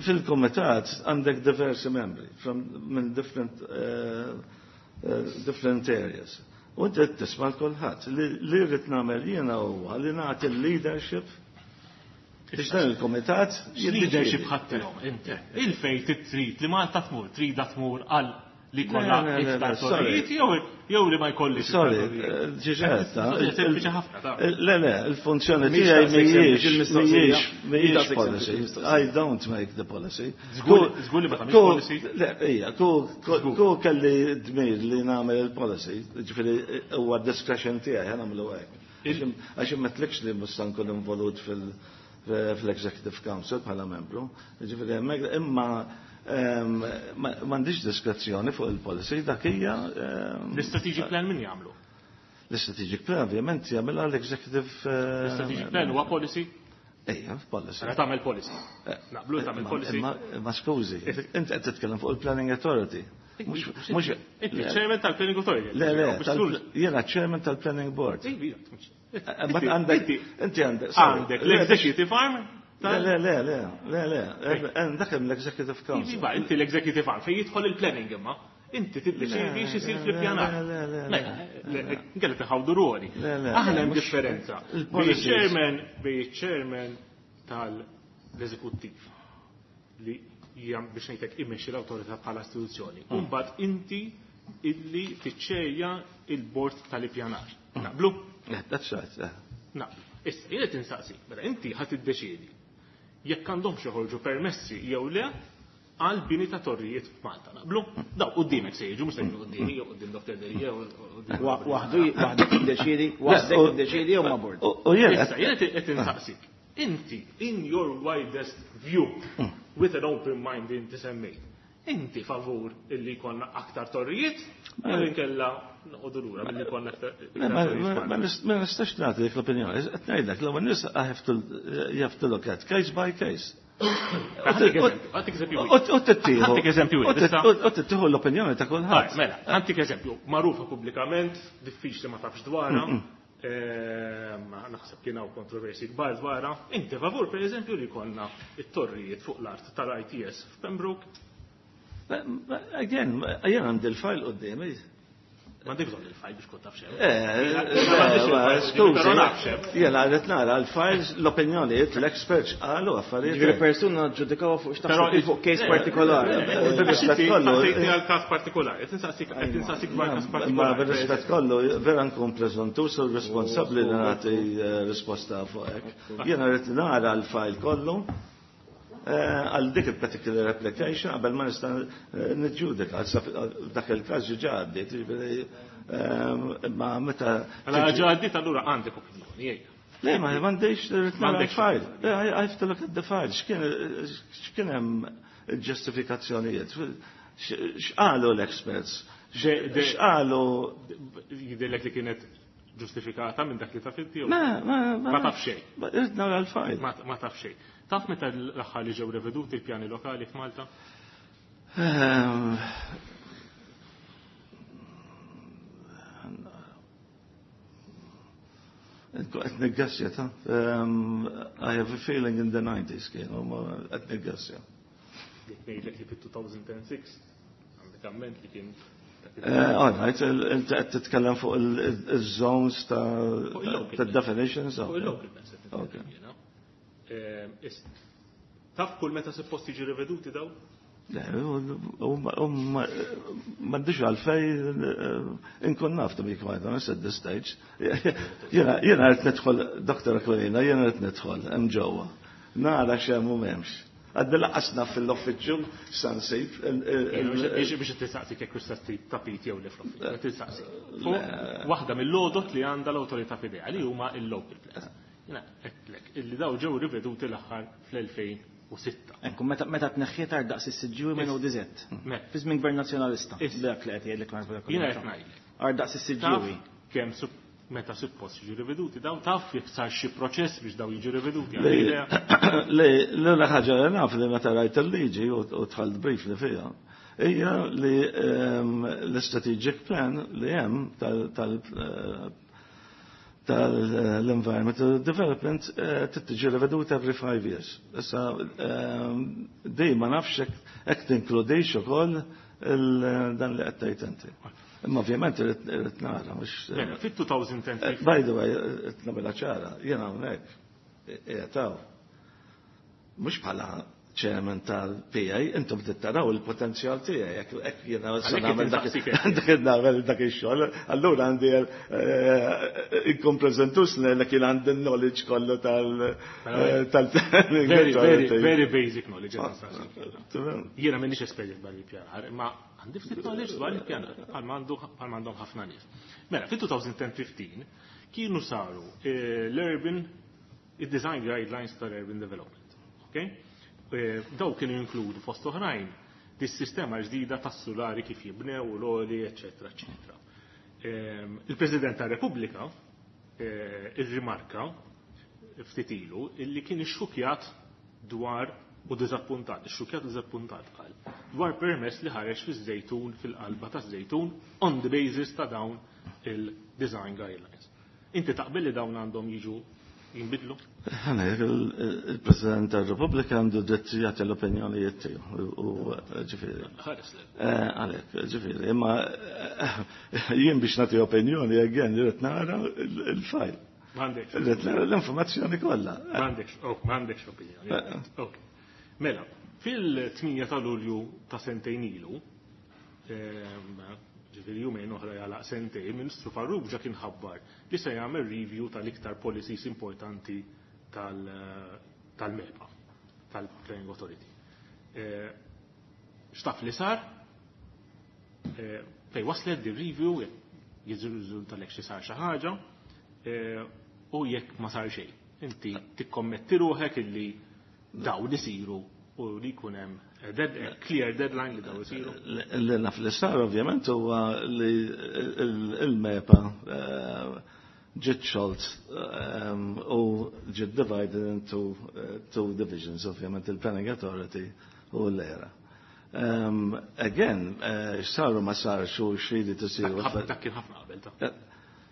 Fil-komitat għandek diversi membri minn different areas. U inti tisma' l-kulħadd. Li rrid nagħmel jiena huwa li nagħti l-leadership biex dan il-komitat Leadership ħadtilhom inti. Il-fejn trid li Malta tmur, trida tmur għal li kollha iktar torrijiet jew li ma jkollix. Sorry, ġiġetta. Sempliċi ħafna ta' Le, le, il-funzjoni tiegħi mhijiex policy. I don't make the policy. Żgur li ma tagħmilx policy. Le, ija, ku kelli dmir li nagħmel il-policy, ġifieri huwa discretion tiegħi ħa nagħmlu hekk. Għax immetlikx li mhux nkun involut fil-Executive Council bħala membru, ġifieri hemmhekk imma M'għandix diskrezzjoni fuq il-policy, dak hija. L-strategic plan min jagħmlu? L-strategic plan ovvjament jagħmilha l-executive. L-strategic plan huwa policy? Ejja, policy. Mela tagħmel policy. Naqblu tagħmel policy. Ma skużi, inti qed titkellem fuq il-Planning Authority. Mhux inti chairman tal-Planning Authority. Le, le, jiena chairman tal-Planning Board. Għandek, inti għandek. Għandek l-executive arm? Le, le, le, le, le, le, dak hemm l-Executive Council. Iva, inti l-executive arm fejn jidħol il-planning imma. Inti tiddeċiedi x'isir fl-ippjanar. Le, nkella tħawdu ruoli. Aħna hemm differenza. Bej bej chairman tal-eżekuttiv li jam biex ngħidlek imexxi l-awtorità bħala istituzzjoni. Imbagħad inti illi tiċċejja il-bord tal-ippjanar. Naqblu? That's right. Naqblu. Issa, jien qed insaqsi, mela inti ħadd tiddeċiedi jekk għandhomx joħorġu permessi jew le għal bini ta' torrijiet f'Malta. Naqblu? Daw qudiemek se jiġu, mhux se jiġu quddiemi jew quddiem Dr. Delia. Waħdu waħdu tiddeċiedi, waħdek tiddeċiedi jew ma' bord. U jien Issa, jien qed insaqsik. Inti, in your widest view, with an open mind inti semmejt, inti favur illi jkollna aktar torrijiet, jew inkella noqogħdu lura billi jkollna aktar torrijiet. Ma nistax nagħti dik l-opinjoni. Qed ngħidlek l-ewwel nies I have to you have to look at case by case. Għantik eżempju. U tittieħu. Għantik eżempju. U tittieħu l-opinjoni ta' kulħadd. Mela, għantik eżempju, magħrufa pubblikament, diffiċli ma tafx dwarha. Naħseb kien hawn kontroversi kbar dwarha. Inti favur pereżempju li jkollna it-torrijiet fuq l-art tal-ITS f'Pembroke? Again, jien għandi l-file quddiemi. M'għandek bżonn il-file biex kont taf xejn. Skużi, jiena qed nara l-files, l-opinjonijiet, l-experts qalu affarijiet. Ġifieri persuna ġudikaw fuq x'taħseb fuq case partikolari. Bir-rispett kollu. Għal każ partikolari, qed insaqsik qed insaqsik dwar każ Ma partikolari. bir-rispett kollu, vera nkun preżuntus u responsabbli li nagħti risposta fuq hekk. Jiena rrid nara l-file kollu għal dik il-particular application qabel ma nista' niġġudika dak il-każ ġa għaddiet, jiġifieri ma meta. Mela ġa għaddiet allura għandek opinjoni, ejja. Le, ma m'għandix rrid nara l-file. I have to look at the file. X'kien hemm ġustifikazzjonijiet? X'qalu l-experts? X'qalu? Jidhirlek li kienet ġustifikata minn dak li taf inti? Ma, ma, ma taf xejn. Irrid nara l-file. Ma taf xejn. Taf meta l-aħħar li ġew reveduti l-pjani lokali f'Malta? Qed niggassja ta' I have a feeling in the 90s kienu, ma qed niggassja. Jekk ngħidlek li fit-2006 għandek amment li kien All right, inti qed titkellem fuq il-zones ta' definitions. Fuq il-local plans qed nitkellem jiena. Taf kull meta suppost jiġi riveduti daw? Le, m'għandix għalfej inkun naf to be quite honest at this stage. Jiena rrid nidħol, Dr. Aquilina, jiena rrid nidħol hemm ġewwa. Nara x'hemm u m'hemmx. Għaddi laqasna fil-uffiċċju sansib. Biex tistaqsi kekk tista' tapit jew le fl-uffiċċju. Tistaqsi. Waħda mill-lodot li għandha l-awtorità f'idejha li huma il-local plans. Jiena għedtlek illi daw ġew riveduti l-aħħar fl-2006. Ekku, meta tneħħiet għar daqs is-Siġġiewi minn ODZ. Fi żmien Gvern Nazzjonalista. Dak li qed jgħidlek ma Jiena qed ngħidlek. Għar daqs is-Siġġiewi. Kemm meta suppost jiġu riveduti daw taf jekk sar xi proċess biex daw jiġu riveduti. Le, l ħaġa li naf li meta rajt il-liġi u dħalt briefly fiha, hija li l-strategic plan li hemm tal-environmental development tittiġi reveduta every 5 years. Issa dej ma nafx hekk tinkludix ukoll dan li qed tgħid inti. Imma ovvjament irrid nara mhux. Mela, fit-2010. By the way, qed nagħmilha ċara, jiena hawnhekk qiegħed hawn. Mhux bħala chairman tal-PA, intom tittaraw il-potenzjal tiegħi, jekk jiena se nagħmel dak dak ix-xogħol, allura għandi inkun preżentus li kien għandi knowledge kollu tal Very, very, very basic knowledge. Jiena m'inhiex espert dwar il-pjanar, imma għandi ftit knowledge dwar il-pjanar, bħal m'għandhom ħafna nies. Mela, fit-2015 kienu saru l-urban, il-design guidelines tal-urban development. Okay? Daw kienu jinkludu fost oħrajn Dis-sistema ġdida tas-sulari kif jibnew u l-oli, eċetera, eċetera. Il-President tar-Repubblika irrimarka ftit ilu illi kien ixxukjat dwar u diżappuntat, ixxukjat u diżappuntat qal, dwar permess li ħareġ fiż-Żejtun fil-qalba taż-Żejtun on the basis ta' dawn il-design guidelines. Inti taqbel li dawn għandhom jiġu jinbidlu? Ħana, il-President tal-Repubblika għandu dritt jagħti l-opinjonijiet tiegħu u ġifieri. Ħares le. Għalhekk, ġifieri, imma jien biex nagħti opinjoni again irid nara il-file. M'għandekx. Irrid nara l-informazzjoni kollha. M'għandekx, oh, m'għandekx opinjoni. Ok. Mela, fil-8 ta' Lulju ta' sentejn ilu, ġifieri jumejn oħra jagħlaq sentejn, il-Ministru Farrugia kien ħabbar li se jagħmel review tal-iktar policies importanti tal-MEPA, tal-Planning Authority. X'taf li sar? Fej waslet di review, jirriżulta lek xi sar xi ħaġa, u jekk ma sar xejn. Inti tikkommetti ruħek illi dawn isiru u li jkun hemm clear deadline li dawn isiru. Li naf li sar ovvjament huwa li il-MEPA ġiet xolt u ġiet divided into two divisions, ovvjament il-Planning Authority u l-ERA. Again, saru ma sarx u xridi tisiru. Dak kien ħafna qabel ta'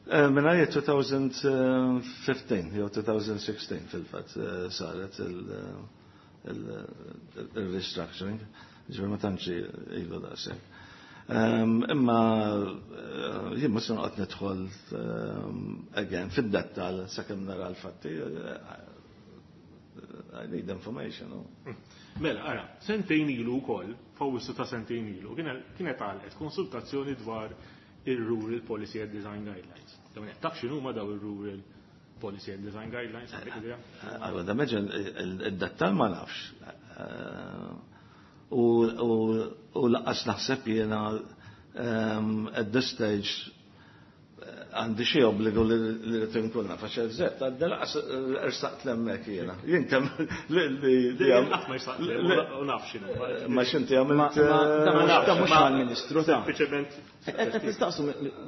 Minn għajja 2015, jew 2016 fil-fatt saret il-restructuring, ġifieri ma tantx ilu daqshekk. Imma jien mhux se noqgħod nidħol again fid-dettall sakemm nara l-fatti. I need information. No? Mela, ara, sentejn ilu wkoll, f'Awwissu ta' sentejn ilu, kienet għalqet konsultazzjoni dwar il-Rural Policy and Design Guidelines. Dawn qed taf x'inhuma daw il-Rural Policy and Design Guidelines, għandek idea? Allora, da meġen id-dettal ma nafx. U lanqas naħseb jiena at this stage għandi xi obbligu li rrid inkun naf għax eżatt għadda lanqas ersaqt l'hemmhekk jiena. Jien kemm li Qatt ma jsaqt u naf x'inhu. Ma x'inti għamilt. Da mhux mal-Ministru ta' Sempliċement. Qed nistaqsu,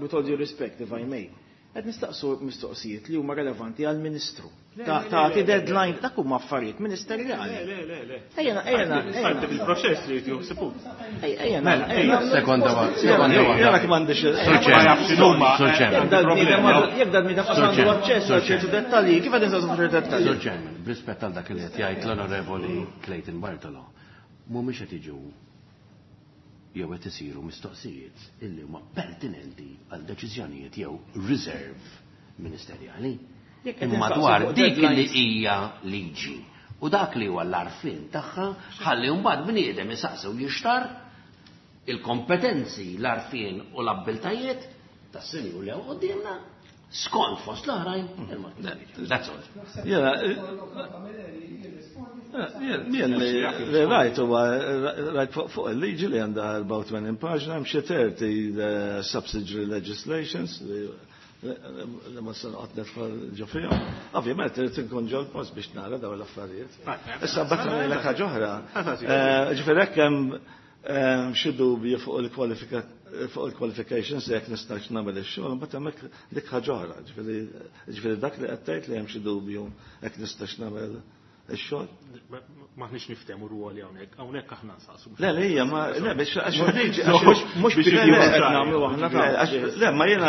with all due respect, if I may, qed nistaqsu mistoqsijiet li huma relevanti għall-Ministru. Tagħti deadline dak huma affarijiet ministerjali. Le, le, le. Ejjena, ejjena, Parti bil-proċess li jsibu. Ejjena, ejjena. Sekonda waħda. Sekonda waħda. Jiena m'għandix. Ma jafx x'inhuma. Sur Chairman. Jekk dal bniedem għandu aċċess għal ċertu dettalji, kif qed nistaqsu ċertu dettalji? Sur Chairman, b'rispett għal dak li qed jgħid l-Onorevoli Clayton Bartolo, mhumiex qed jiġu jew qed isiru mistoqsijiet illi huma pertinenti għal deċiżjonijiet jew reserve ministerjali. Jekk qed Imma nistaqsu dwar fuq dik li deadlines. hija liġi u dak li huwa l-arfin tagħha ħalli mbagħad bniedem isaqsew jixtar il-kompetenzi, l-arfin u l-abbiltajiet tas-sinjur li hawn quddiemna skont fost l-oħrajn il-Malti. That's all. Jiena jien li rajt huwa rajt fuq il-liġi li għandha 84 paġna hemm xi 30 subsidiary legislations li ma se noqgħod nidħol ġo fihom. Ovvjament irid inkun ġol post biex nara dawn l-affarijiet. Issa mbagħad ngħidlek ħaġa oħra. Ġifieri hekk hemm xi dubji fuq il-qualifications jekk nistax nagħmel ix-xogħol, mbagħad hemmhekk dik ħaġa oħra. Ġifieri dak li qed tgħid li hemm xi dubju jekk nistax nagħmel ix-xogħol. Maħniex niftehmu rwoli hawnhekk, hawnhekk aħna nsaqsu. Le, le, hija ma le biex għax liġi Mhux biex qed nagħmlu aħna ta' Le, ma jiena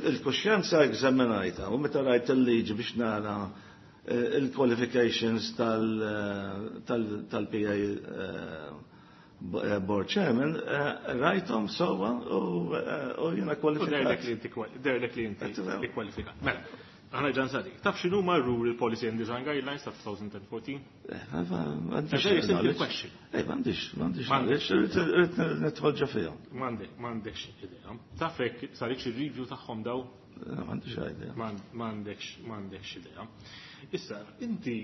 il-kuxjenza eżaminajta u meta rajt il-liġi biex nara il-qualifications tal-PA board chairman, rajthom sewwa u jiena kwalifikat. Derlek li inti kwalifikat. Mela, aħna ġan sadik. Taf x'inhuma Rural Policy and Design Guidelines ta' 2014? M'għandix. Very simple question. M'għandix, m'għandix knowledge, irrid nidħol ġo fihom. M'għandekx idea. Taf hekk saritx ir-review tagħhom daw? M'għandix idea. M'għandekx idea. Issa, inti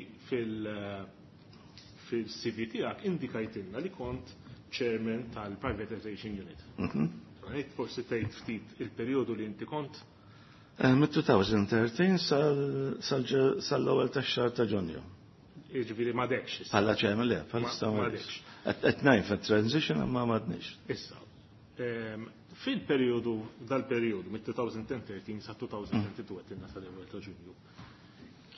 fil-CV tiegħek indikajtilna li kont chairman tal-Privatization Unit. Għajt forsi tgħid ftit il-perjodu li inti kont? Mit-2013 sal-ewwel tax-xahar ta' Ġunju. Jiġifieri m'għadekx issa. Bħala chairman le, bħalissa m'għadekx. Qed ngħid fit-transition imma m'għadniex. Issa, fil-perjodu dal-perjodu mit-2013 sa 2022 qed sa l-ewwel ta' Ġunju.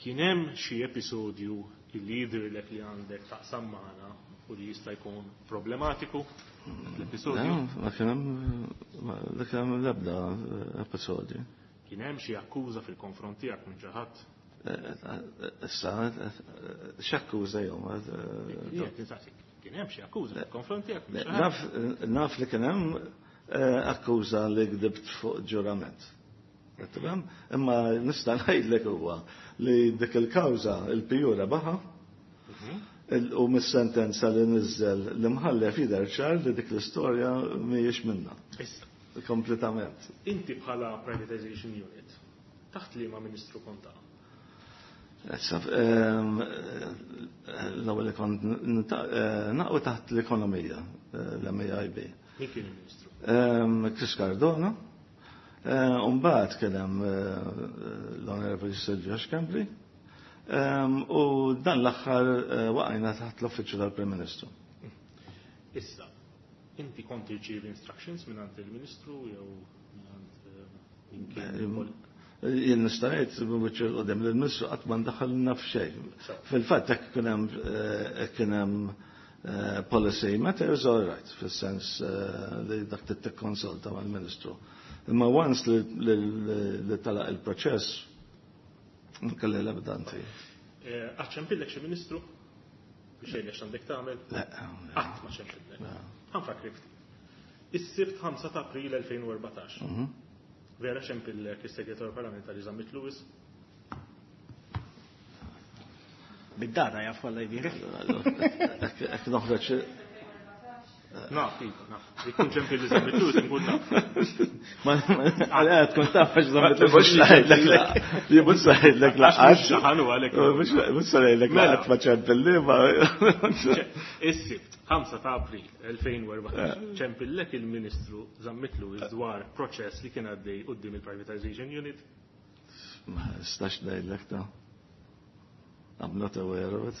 Kien hemm xi episodju li jidhirlek li għandek taqsam magħna u li jista' jkun problematiku l-episodju? Ma kien hemm l-ebda episodju. Kien hemm xi akkuża fil-konfront tiegħek minn xi ħadd? Issa, x'akkuża jew? Kien hemm xi akkuża fil-konfront tiegħek? Naf li kien hemm akkuża li gdibt fuq ġurament. Tifhem? Imma nista' ngħidlek huwa li dik il-kawża il-PU rebaħa u mis-sentenza li niżel l-imħallef jidher ċar li dik l-istorja mhijiex minna. Issa. Kompletament. Inti bħala privatization unit, taħt liema ministru kont taqa'? Issa, l-ewwel li kont naqgħu taħt l-ekonomija, l-MAIB. Min kien il-ministru? Chris Cardona. Umbagħad kien hemm l-Onorevoli Silvio Schembri. U dan l-aħħar waqajna taħt l-Uffiċċju tal-Prim Ministru. Issa, inti kont tirċievi instructions mingħand il-Ministru jew mingħand min kien? Jien nista' ngħid biċċ qudiem lill-Ministru qatt ma ndaħħalna f'xejn. Fil-fatt hekk kien hemm policy matters all right, fis-sens li dak tikkonsulta mal-Ministru. Imma once li talaq il-proċess, kelli l-ebda inti. Qatt ċempillek xi Ministru biex jgħidlek x'għandek tagħmel? Le. Qatt ma ċempillek. Ħa nfakrek ftit. Is-Sibt 5 ta' April 2014. Vera ċempillek is-Segretarju Parlamentari Zammit Lewis? Bid-data jaf kollha jbierek. Hekk noħroġ. Naf, iva, naf. Jekk ċempilli Zammit Lewis inkun naf. Ma għal tkun taf għax Zammit Lewis. Mhux ngħidlek la. Li mhux ngħidlek la. Għax mhux ħanu għalhekk. Mhux ngħidlek la qatt ma ċempilli ma. Is-Sibt, 5 ta' April 2014, ċempillek il-Ministru Zammit Lewis dwar proċess li kien għaddej quddiem il-Privatization Unit. Ma nistax ngħidlek ta'. I'm not aware of it.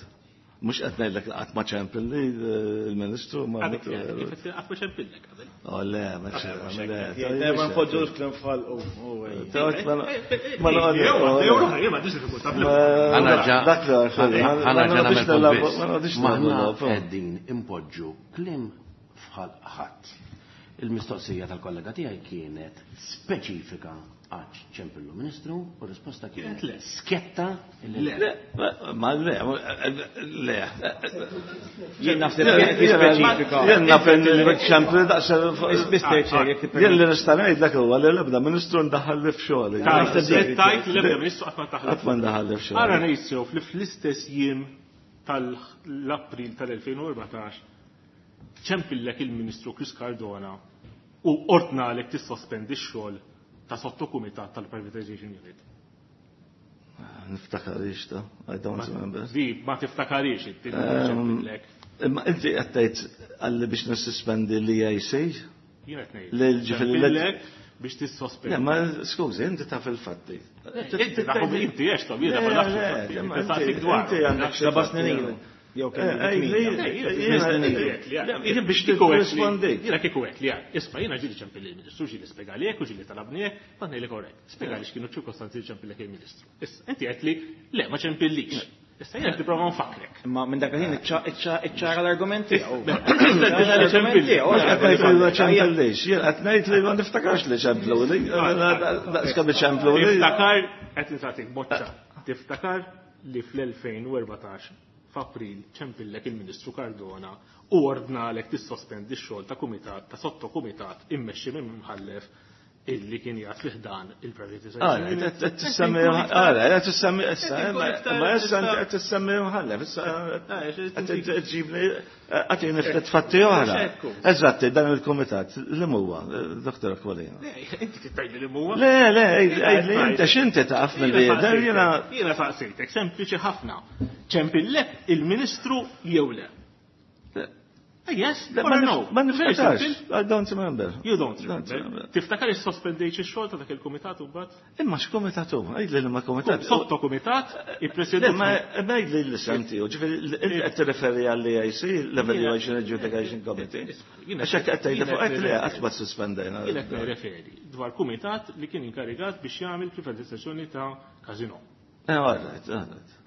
Mhux qed ngħidlek qatt ma ċempilli il-Ministru ma Għadek kif qatt ma ċempillek qabel. Oh le, ma ċempillek. Le, ma npoġġux kliem f'ħalqu. Ma Maħna qegħdin impoġġu kliem f'ħalq ħadd. Il-mistoqsija tal-kollega tiegħi kienet speċifika għax ċempillu Ministru u risposta kienet le. Sketta le. Ma le, le. Jien naħseb kienet speċifika. Jien naf ċempilli daqs. Mr. Chair, jekk tippermetti. Jien li nista' ngħidlek huwa li l-ebda Ministru ndaħal li f'xogħli. Tajt li l-ebda Ministru qatt ma ndaħal. Qatt ma ndaħal li f'xogħli. Ara ngħid li fl-istess jiem tal-April tal-2014 ċempillek il-Ministru Chris Cardona u ordnalek tissospendi x-xogħol ta' sottokumitat tal-Privatization Unit. Niftakarix ta' I don't remember. Di, ma tiftakarix, inti ċempillek. Imma inti qed tgħid għalli biex nissospendi l-EIC? Jien qed ngħid. Ċempillek biex tissospendi. Le, ma skużi, inti taf il-fatti. Inti taf inti għex ta' jiena ma nafx il-fatti. Inti dwar. Inti għandek xi Seba' snin ilu. Jew Jien biex tirrispondi. Jiena kieku hekk li għad. Isma' jiena ġieli ċempilli il-Ministru, ġieli spjegali hekk u ġieli talabni hekk, ma ngħidlek orrejt. Spjegali x'kienu ċirkostanzi li ċempillek il-Ministru. Issa inti qed li le ma ċempillix. Issa jiena tipprova nfakrek. Imma minn dak il-ħin iċċara l-argument tiegħu. Mhux qed ngħid li ma ċempillix, jien qed ngħid li ma niftakarx li ċempluli. Daqs kemm iċempluli. Tiftakar qed insaqsik boċċa. Tiftakar li fl-2014 f'April ċempillek il-Ministru Cardona u ordnalek tissospendi x-xogħol ta' kumitat ta' sottokumitat immexxi minn mħallef illi kien jgħat fih dan il-privatization. Qed tissemmi ara, qed tissemmi issa, ma issa qed tissemmi mħallef, issa qed tġibni qed ftit fatti oħra. Eżatti, dan il-kumitat li huwa, Dr. Aquilina. Inti tgħidli li huwa? Le, le, għidli inti x'inti taf mill-li jiena. Jiena saqsejtek, sempliċi ħafna. Ċempillek il-Ministru jew le? Yes, or no? Ma niftakarx. I don't remember. You don't remember. Tiftakar issospendejt ix-xogħol ta' dak il-kumitat u mbagħad? Imma x'kumitat hu? Għidli li ma kumitat. Sotto kumitat, ippresjedut. Ma għidli l-isem tiegħu, ġifieri qed tirreferi għall-EIC, l-Evaluation Adjudication Committee. Għax hekk qed tgħidli fuq hekk li qatt ma suspendejna. Jien qed nirreferi dwar kumitat li kien inkarigat biex jagħmel privatizzazzjoni ta' casino. Eh, all right, all right.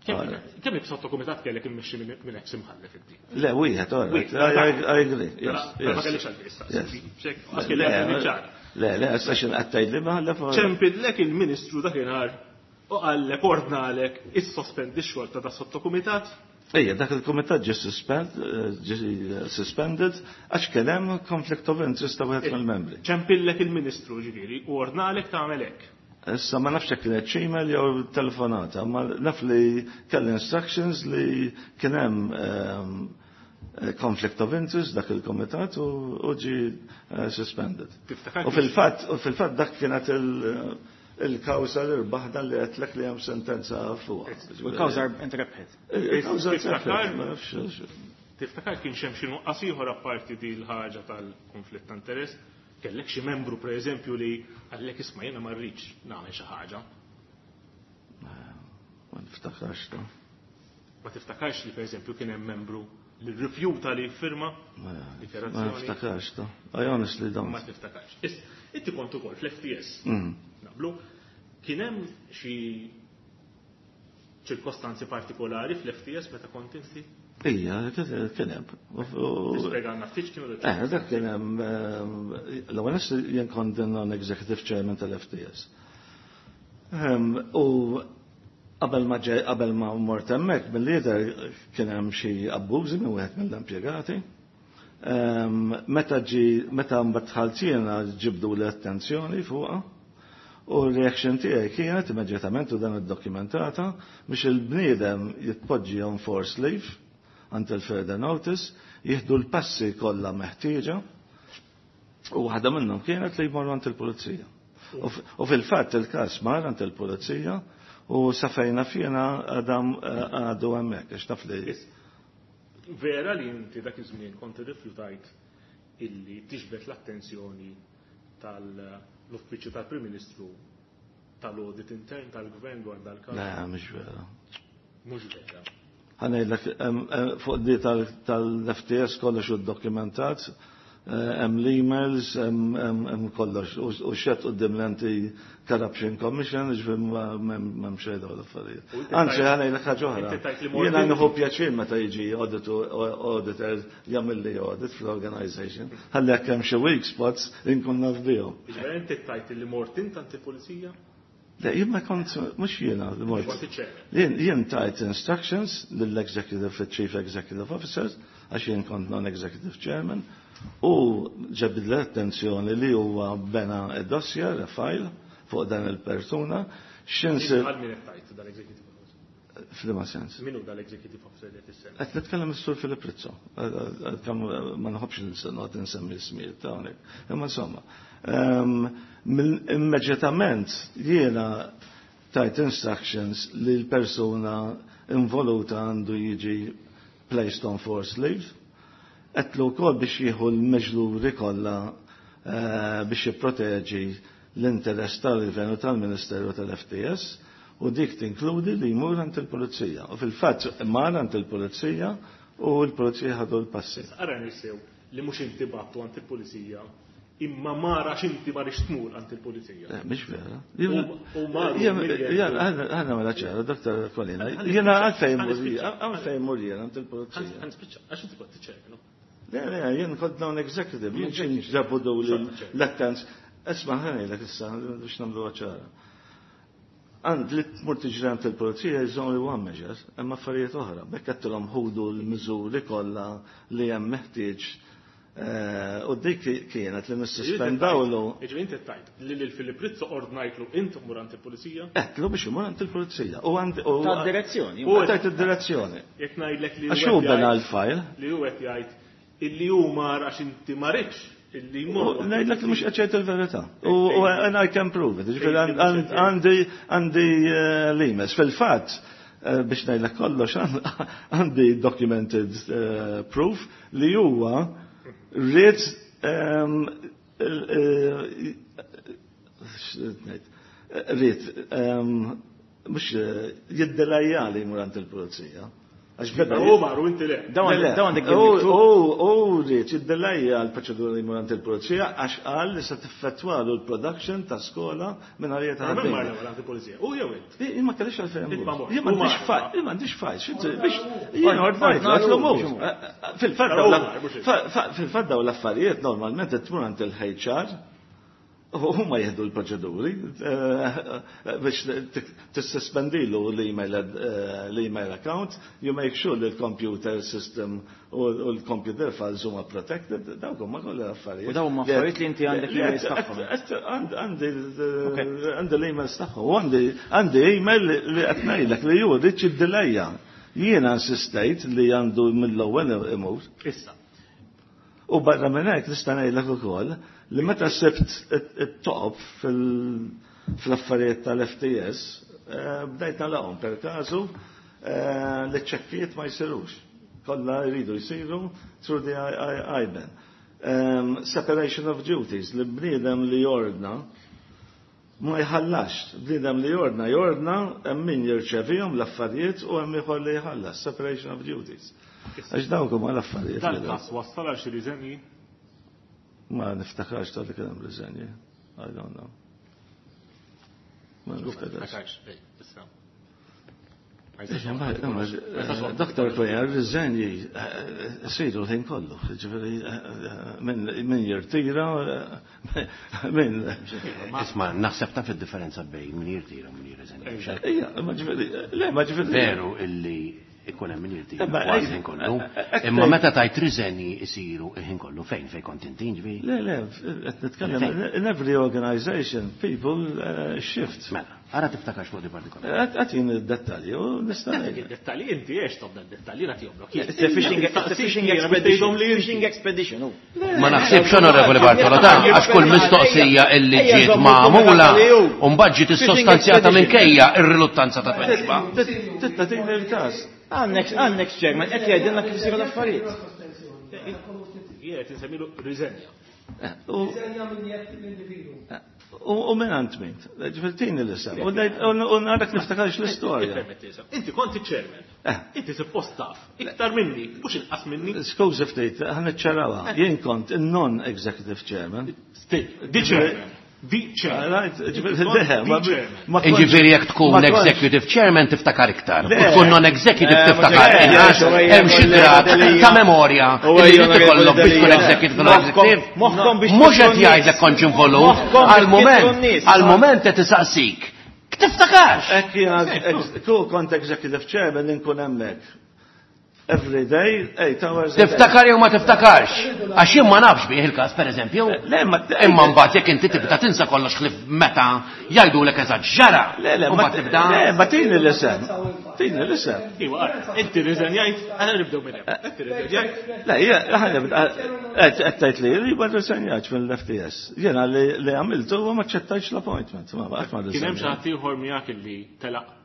Kemm sotto kumitat kellek immexxi minn ex imħallef inti? Le, wieħed, all right. I agree. Ma kellix għalfejn issa. Le, le, issa xi qed tgħidli mħallef. Ċempillek il-Ministru dakinhar u qallek ordnalek issospendi x-xogħol ta' da sottokumitat? Ejja, dak il-kumitat ġie suspended għax kien hemm conflict of interest ta' wieħed mill-membri. Ċempillek il-Ministru ġifieri u ordnalek tagħmel hekk. Issa ma nafx jekk kienet email jew telefonata, ma naf li kelli instructions li kien hemm conflict of interest dak il-komitat u ġi suspended. U fil-fatt dak kienet il-kawża li rbaħna li għedtlek li hemm sentenza fuqha. U l-kawża intrebħet. Il-kawża intrebħet, ma nafx. Tiftakar kien hemm xi nuqqas ieħor apparti di l-ħaġa tal-konflitt ta' interess? Kellek xi membru pereżempju li qallek isma' jiena ma rridx nagħmel xi ħaġa? Ma niftakarx ta. Ma tiftakarx li pereżempju kien hemm membru li rrifjuta li jiffirma Ma niftakarx ta. I honestly don't. Ma tiftakarx. Inti kont ukoll fl-FTS. Naqblu, kien hemm xi ċirkostanzi partikolari fl-FTS meta kont inti? Ija, kien hemm. Tispjegalna ftit x'kienu Eh, dak kien hemm l-ewwel jien kont non-executive chairman tal-FTS. U qabel ma mort hemmhekk mill-lider kien hemm xi abbużi minn wieħed mill-impjegati. Meta mbagħad dħalt jiena ġibdu l-attenzjoni fuqha. U l-reaction tiegħi kienet immedjatament u dan iddokumentata biex il-bniedem jitpoġġi on force leave until further notice, jieħdu l-passi kollha meħtieġa u waħda minnhom kienet li jmorru għand il-pulizija. U fil-fatt il-każ mar għand il-pulizija u safejna fjena għadam għadu hemmhekk għax taf li. Vera li inti dak iż-żmien kont irrifjutajt illi tiġbed l-attenzjoni tal-Uffiċċju tal-Prim Ministru tal-Audit Intern tal-Gvern dwar dal-każ? Le, mhux vera. Mhux vera. Ħa ngħidlek fuq di tal-FTS kollox u dokumentat, hemm l-emails, hemm kollox u xed quddiem l-Anti-Corruption Commission, ġifieri m'hemm xejn dawn l-affarijiet. Anzi ħa ngħidlek ħaġa oħra. Jiena nieħu pjaċir meta jiġi auditor jagħmel li audit fl-organization, ħalli jekk hemm xi weak spots inkun naf bihom. Ġifieri inti tajt li mort int anti-pulizija? Le, jien ma kont, mhux jiena li mort. Jien tajt instructions lill-executive, chief executive officers, għax jien kont non-executive chairman, u ġabid l-attenzjoni li huwa bena id-dossier, a file, fuq dan il-persuna. X'insir. Għal min qed tajt dal-executive officer? F'liema sens? Min hu dal-executive officer li qed issemmi? Qed nitkellem is-Sur Filip Rizzo. Ma nħobbx noqgħod insemmi ismijiet ta' hawnhekk. Imma insomma, immedjatament jiena tajt instructions li l-persuna involuta għandu jiġi placed on force leave. Għedtlu wkoll biex jieħu l-miżuri kollha biex jipproteġi l-interess tal-Gvern u tal-Ministeru tal-FTS u dik tinkludi li jmur għand il-Pulizija. U fil-fatt mar għand il-Pulizija u l-Pulizija ħadu l-passi. Ara nisew li mhux inti battu għand il-Pulizija imma mara x'inti ma rix tmur għand il-Pulizija. Le, mhix vera. U maru Ħana mela ċara, Dr. Aquilina. Jiena għalfejn mur jien għand il-Pulizija. Ħa nispiċċa, għax inti kont tiċċerka, no? Le, le, jien kont non-executive, jien xejn ġabu daw l-attens. Isma' ħa ngħidlek issa biex nagħmluha ċara. Għand li tmur tiġri għand il-pulizija is only one measure, hemm affarijiet oħra. Bekk għedtilhom ħudu l-miżuri kollha li hemm meħtieġ. U dik kienet li nissuspendawlu. Jiġifieri inti tajt li lil Filip Rizzo ordnajtlu int mur għand il-pulizija? Għedtlu biex imur għand il-pulizija. U għand u Ta' direzzjoni. U tajt id-direzzjoni. Jekk ngħidlek li Għax hu bena l-file. Li hu qed jgħid illi hu mar għax inti ma ridx illi jmur. Ngħidlek li mhux qed jgħid il-verità. U and I can prove it. Jiġifieri għandi l-emails. Fil-fatt, Biex ngħidlek kollox għandi documented proof li huwa ried ried mhux jiddelajja li jmur għand il-pulizija. Għax beda U maru inti le. Dawn għandek U ried jiddelajja l-proċedura li jmur għand il-pulizija għax qal li se tiffettwalu l-production ta' skola minn għalija ta' Min mar l-ewwel għand il-pulizija? U jew int? Jien ma kellix għalfejn. Int ma mort. Jien U m'għandix mar. fajl, jien m'għandix fajl, biex jien ordnajt għatlu mur. Fil-fatt dawn l-affarijiet normalment qed tmur għand il-HR u huma jieħdu l-proċeduri biex tissospendilu l-email account, you make sure li l-computer system u l-computer files huma protected, dawk huma kollha l-affarijiet. U dawn huma affarijiet li inti għandek l-emails tagħhom. Għandi l-emails tagħhom, u għandi email li qed ngħidlek li hu rrid jiddelejja. Jiena insistejt li għandu mill-ewwel imur. Issa. U barra minn hekk nista' ngħidlek ukoll li meta sibt it-toqob fl-affarijiet tal-FTS, bdejt nalaqhom per każu li ċ-ċekkijiet ma jsirux. Kollha jridu jsiru through the IBAN. Separation of duties, li bniedem li jordna ma jħallax. Bniedem li jordna, jordna hemm min jirċevihom l-affarijiet u hemm ieħor li jħallas. Separation of duties. Għax dawk huma l-affarijiet. Dan każ wassal għal xi riżenji? Ma niftakarx tal li kien hemm riżenji. I don't know. Ma niftakarx. Issa. Doktor Kweja, riżenji siru l-ħin kollu. Ġifieri min jirtira, min. Isma', naħseb taf id-differenza bejn min jirtira u min jirriżenja. Ija, ma ġifieri, le, ma ġifieri. Veru illi ikun hemm min jirtira kważi ħin kollu. Imma meta tajt riżenji isiru il-ħin kollu fejn fejn kont inti ġifieri? Le, le, qed nitkellem in every organization people shift. Mela, ara tiftakarx fuq di partikolari. Għatin id-dettalji u nista' ngħid. Id-dettalji inti għex tobda d-dettalji nagħtihomlok. It's a fishing expedition. Fishing expedition. Ma naħsibx Onorevoli Bartolo ta' għax kull mistoqsija illi ġiet magħmula u mbagħad ġiet issostanzjata minkejja ir-riluttanza ta' tweġiba. Titta tini l-każ. Għandek chairman, qed jgħidilna kif isiru l-affarijiet. Jien qed insemmilu riżenja. Riżenja minn jekk l-individu. U minn għand min? Ġifieri tini l-isem. U narak niftakarx l-istorja. Inti kont iċ-chairman. Inti suppost taf. Iktar minni, mhux inqas minni. Skużi ftit, ħa niċċarawha. Jien kont il-non-executive chairman. Di chairman. Di chairman. Ġifieri jekk tkun executive chairman tiftakar iktar. U tkun non-executive tiftakar inqas. Hemm xi grad ta' memorja li trid ikollok biex tkun executive non-executive. Mhux qed jgħidlek kontx involut. Għal-moment qed isaqsik. Tiftakarx! Hekk jiena kont executive chairman inkun hemmhekk. Every day, 8 hours. Tiftakar jew ma tiftakarx. Għax jien ma nafx bih il-każ pereżempju. Le, ma Imma mbagħad jekk inti tibda tinsa kollox ħlief meta jgħidulek eżatt ġara. Le, le, U mbagħad tibda. Le, ma tini l-isem. Tini l-isem. Iwa, inti riżenjajt, aħna nibdew minn hemm. Inti riżenjajt. Le, aħna nibda, qed tgħid li li ma rriżenjajtx mill-FTS. Jiena li għamiltu huwa ma ċċettajtx l-appointment. Ma qatt ma Kien hemm xi ħadd ieħor miegħek illi telaq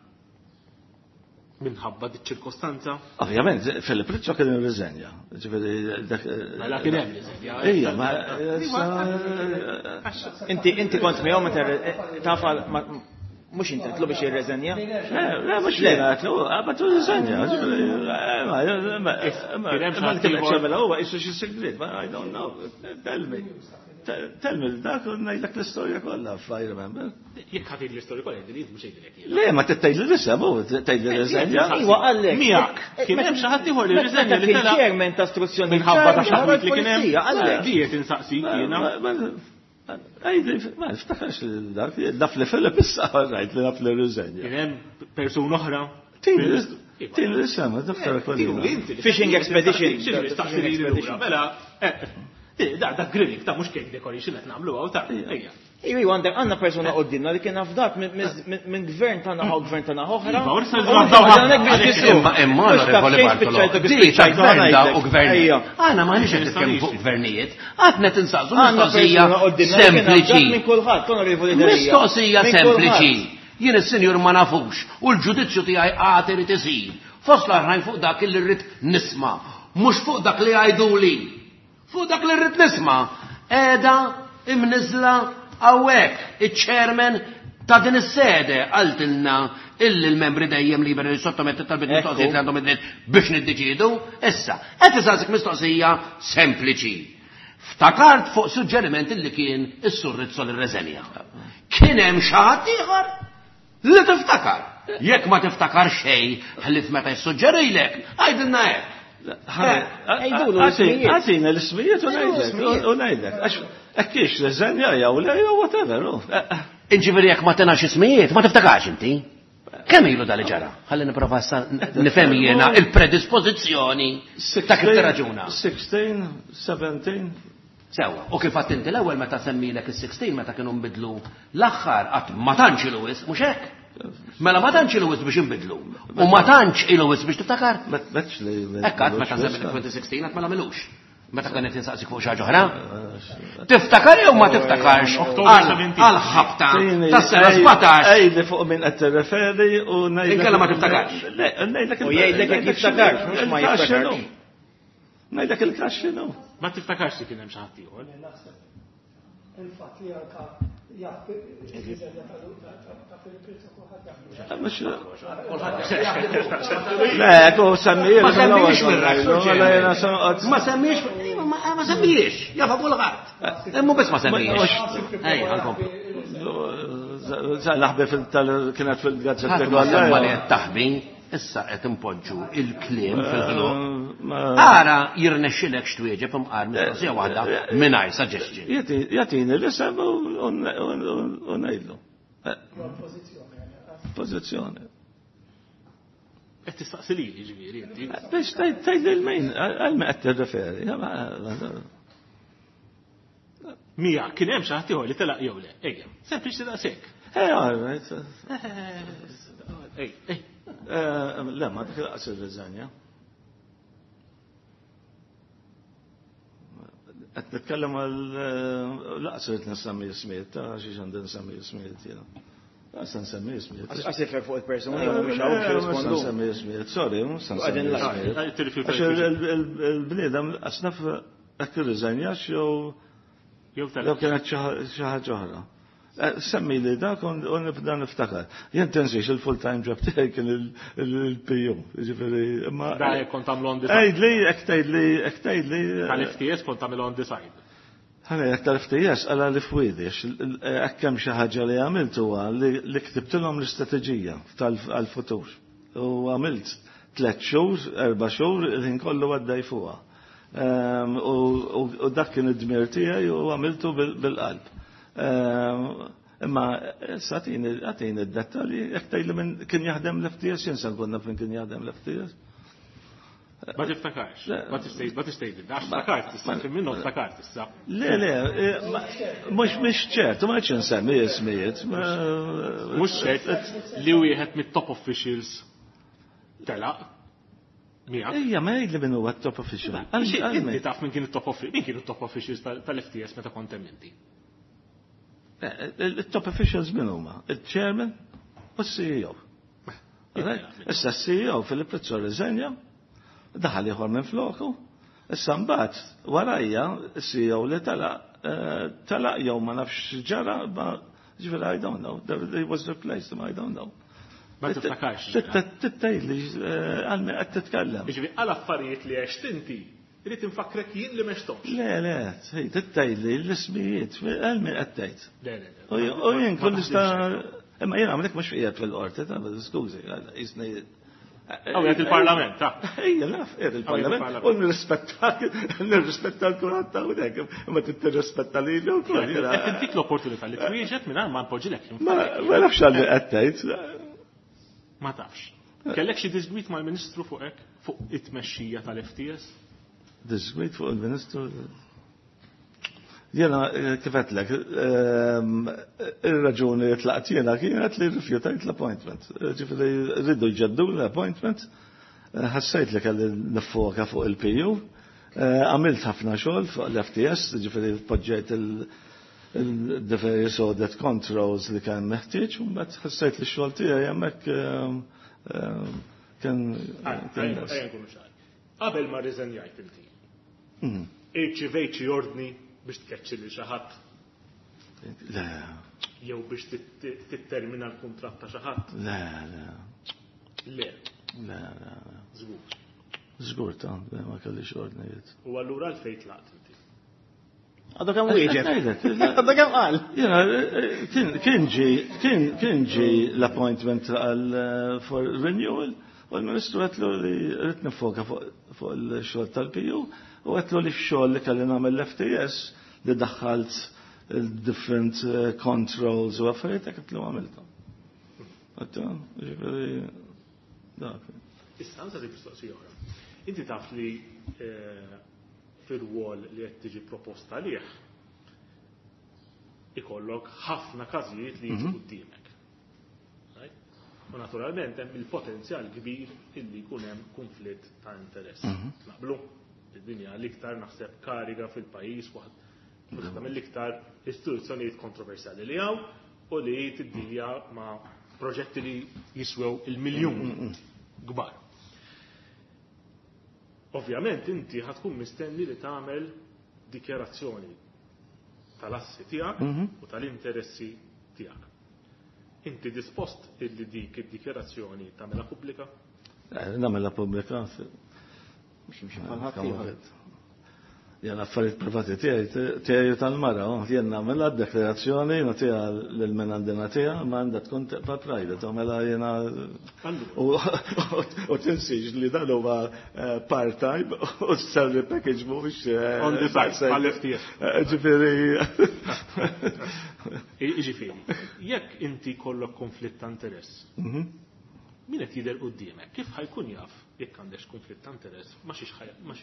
minħabba di ċirkostanza? Ovvjament, Filip Rizzo kien irriżenja. Ġifieri dak. Mela kien hemm riżenja. Ija, ma. Inti kont miegħu meta taf mhux inti tlu biex jirreżenja? Le, mhux jiena tlu, ma tu riżenja. Ma kien qed huwa qisu xi sigriet, ma I don't know. Tell me. Tell me dak u ngħidlek l-istorja kollha, if I remember. Jekk ħadd l-istorja kollha, jgħidli mhux jgħidlek. Le, ma tgħidli l-isem, u tgħidli riżenja. Iwa qallek. Miegħek. Kien hemm xi ħadd ieħor li riżenja li telaq. Chairman ta' istruzzjoni. Minħabba ta' xi li kien hemm. Qallek. Diet insaqsik jiena. Għajdi, ma niftakarx dak, naf li Filip issa rajt li naf li riżenja. Kien hemm persuna oħra. Tini l-isem, doktor Aquilina. Fishing expedition. Mela, da grilling, ta' mhux cake decoration qed nagħmlu hawn ta' ejja. Iwa, iwa, għandek għandna persuna qoddimna li kien afdat minn gvern ta' naħa u gvern ta' naħa oħra. Iva, orsa l-gvern Imma imma onorevoli Bartolo, di ta' gvern da u gvernijiet. Aħna m'aħniex qed nitkellmu fuq gvernijiet, aħna qed insaqsu Għandna mistoqsija persuna qoddimna li kien afdat sempliċi. minn kulħadd, onorevoli Delia. Mistoqsija Minn sempliċi. kulħadd. Jien is-sinjur ma nafux u l-ġudizzju tiegħi għad irid isir. Fost l-oħrajn fuq dak li rrid nisma', mhux fuq dak li jgħiduli. Fuq dak li rrid nisma'. Qiegħda imniżżla hawnhekk iċ-chairman ta' din is-sede qaltilna illi l-membri dejjem liberi li sottomettu talbiet mistoqsijiet li għandhom id-dritt biex niddeċiedu. Issa, qed isaqsik mistoqsija sempliċi. Ftakart fuq suġġeriment illi kien is-Sur Rizzo li rreżenja. Kien hemm xi ħadd ieħor li tiftakar. Jekk ma tiftakar xejn ħlief meta jissuġġerilek, għidilna hekk. Għatina l-ismijiet u ngħidlek, u ngħidlek. Għax hekk hix reżenja jew le jew whatever. Inġifieri jekk ma tenax ismijiet, ma tiftakarx inti. Kemm ilu dali ġara? Ħalli nipprova issa nifhem jiena il-predispożizzjoni ta' kif tirraġuna. 16, 17. Sewa, u kif għadt inti l-ewwel meta semmilek is-16 meta kienu nbidlu l-aħħar qatt ma tantx ilu wisq, mhux hekk? Mela ma tantx ilu wisq biex inbidlu. U ma tantx ilu wisq biex tiftakar? Hekk għadt meta semmilek 2016 qatt ma nagħmilux. Meta kien qed insaqsik fuq xi ħaġa oħra? Tiftakar jew ma tiftakarx għal ħabta tas-sena 17? Għidli fuq min qed tirreferi u ngħidlek. Inkella ma tiftakarx. Le, ngħidlek. U jgħidlek jekk jiftakarx, mhux ma jiftakarx. Ngħidlek il-każ x'inhu. Ma tiftakarx li kien hemm xi ħadd ieħor. Il-fatt li anka jaf ta' Filip Rizzo kulħadd jaf. Le, ku semmi. Ma semmiex mir-ras. Ma semmiex, ma semmiex, jafa kulħadd. Imma biss ma semmiex. Ejja, nkomplu. Naħbi kienet fil-gazzetta. Ħadd ma semma li qed taħbi, issa qed impoġġu il-kliem fil-ħluq. Ara jirnexxilek x'twieġeb imqar mistoqsija waħda mingħajr suggestion. Jagħtini l-isem u ngħidlu. Pożizzjoni. Qed tistaqsi lili ġifieri inti. Biex tgħid lil min, għal min qed tirreferi. Mija, kien hemm xi ħadd ieħor li telaq jew le. Ejja, sempliċi daqshekk. Eh, all right. Ej, ej. Le, ma dik laqas ir-riżenja. Qed nitkellem għal laqas irid nsemmi ismijiet, ta' xiex għandi nsemmi ismijiet jiena. Laqas nsemmi ismijiet. Għax ifek fuq il-persuni, u mhux hawn biex jirrispondu. Nsemmi ismijiet, sorry, mhux nsemmi ismijiet. Għax il-bniedem laqas naf hekk irriżenjax jew jew kienet xi ħaġa oħra. Semmi li dak u nibda niftakar. Jien tinsiex il-full-time job tiegħi kien il-PU. Ġifieri, imma. Da kont tagħmlu on the side. Għidli, hekk tgħidli, hekk tgħidli. Tal-FTS kont tagħmlu on the side. Ħana jekk tal-FTS għala li fwidi, hekk hemm xi ħaġa li għamilt huwa li ktibtilhom l-istrateġija tal-futur. U għamilt 3 xhur, 4 xhur, il-ħin kollu għaddej fuqha. U dak kien id-dmir tiegħi u għamiltu bil-qalb. Imma issa għatini d-dettalji, jekk tgħidli minn kien jaħdem l-FTS, jien se nkun naf minn kien jaħdem l-FTS. Ma tiftakarx, ma tistgħid, għax ftakart issa, kien minnu ftakart issa. Le, le, mhux ċert, ma rridx insemmi ismijiet. Mhux ċert li wieħed mit-top officials telaq. Ejja, ma jgħidli min huwa top official. Inti taf minn kien it-top official, min kienu top officials tal-FTS meta kont hemm inti? Il-top officials min huma? Il-chairman u c-CEO. Issa c-CEO Filip Rizzo rriżenja, daħal ieħor minn floku, issa mbagħad warajja c-CEO li telaq jew ma nafx ġara, ma ġifieri I don't know, he was replaced, I don't know. Ma tiftakarx. Tgħidli għal min qed titkellem. Jiġifieri għal affarijiet li għext inti, irid infakrek jien li m'għexthomx. Le, le, tgħidli l-ismijiet, għal min qed tgħid. Le, le, U jien kun nista' imma jien għamlek mhux qiegħed fil-qorti, ta' skużi, jisni. Għaw il-parlament, ta' Ejja, naf, qiegħed il-parlament. U nirrispetta l-kulħadd ta' hawnhekk, imma tirrispetta lili wkoll. Qed intik l-opportunità li twieġeb mingħajr ma npoġġilek. Ma nafx għal min qed tgħid. Ma tafx. Kellek xi disgwit mal-Ministru fuq hekk, fuq it-tmexxija tal-FTS? Disgwit fuq il-Ministru? Jena, kif għedtlek, ir-raġuni li tlaqt jiena kienet li rrifjutajt l-appointment. Ġifieri rridu jġeddu l-appointment, ħassejt li kelli nifoka fuq il-PU, għamilt ħafna xogħol fuq l-FTS, ġifieri poġġejt the various audit controls li kien meħtieġ, u mbagħad ħassejt li x-xogħol tiegħi hemmhekk kien. Qabel ma rriżenjajt inti. Irċivejt xi ordni biex tkeċċi lil xi ħadd? Le. Jew biex tittermina l-kuntratt ta' xi ħadd? Le, le. Le. Le, le. Żgur. Żgur ta' ma kellix ordnijiet. U allura għalfejn tlaqt inti? Għadu kemm wieġeb. Għadu kemm qal. Jiena kien ġi kien ġi l-appointment għal for renewal u l-Ministru għetlu li rrid nifoka fuq il-xogħol tal-PU u għetlu li x-xogħol li kelli nagħmel l-FTS li daħħalt il-different controls u affarijiet hekk għetlu għamilthom. Għettu, ġifieri dak. Issa għandha mistoqsija oħra. Inti taf li fir-rwol li qed tiġi proposta għalih ikollok ħafna każijiet li jiġu quddiemek. U naturalment hemm il-potenzjal kbir illi jkun hemm konflitt ta' interess. Naqblu? Id-dinja l-iktar naħseb kariga fil-pajjiż waħda mill-iktar istituzzjonijiet kontroversjali li hawn u li tiddilja ma' proġetti li jiswew il-miljun kbar. Ovvjament inti ħatkun mistenni li tagħmel dikjarazzjoni tal-assi tiegħek u tal-interessi tiegħek. Inti dispost illi dik id-dikjarazzjoni tagħmilha pubblika? Nagħmilha pubblika. Jien affarijiet privati tiegħi tal-mara, jien nagħmilha d-deklarazzjoni nagħtiha lil min għandi nagħtiha, ma għandha tkun tibqa' private, tagħmilha jiena u tinsiex li dan huwa part-time u salary package mhuwiex on the side għall-FTS. Ġifieri. Ġifieri, jekk inti kollok konflitt ta' interess, min qed jidher quddiemek, kif ħajkun jaf jekk għandek konflitt ta' interess ma xiex ħajjagħmel?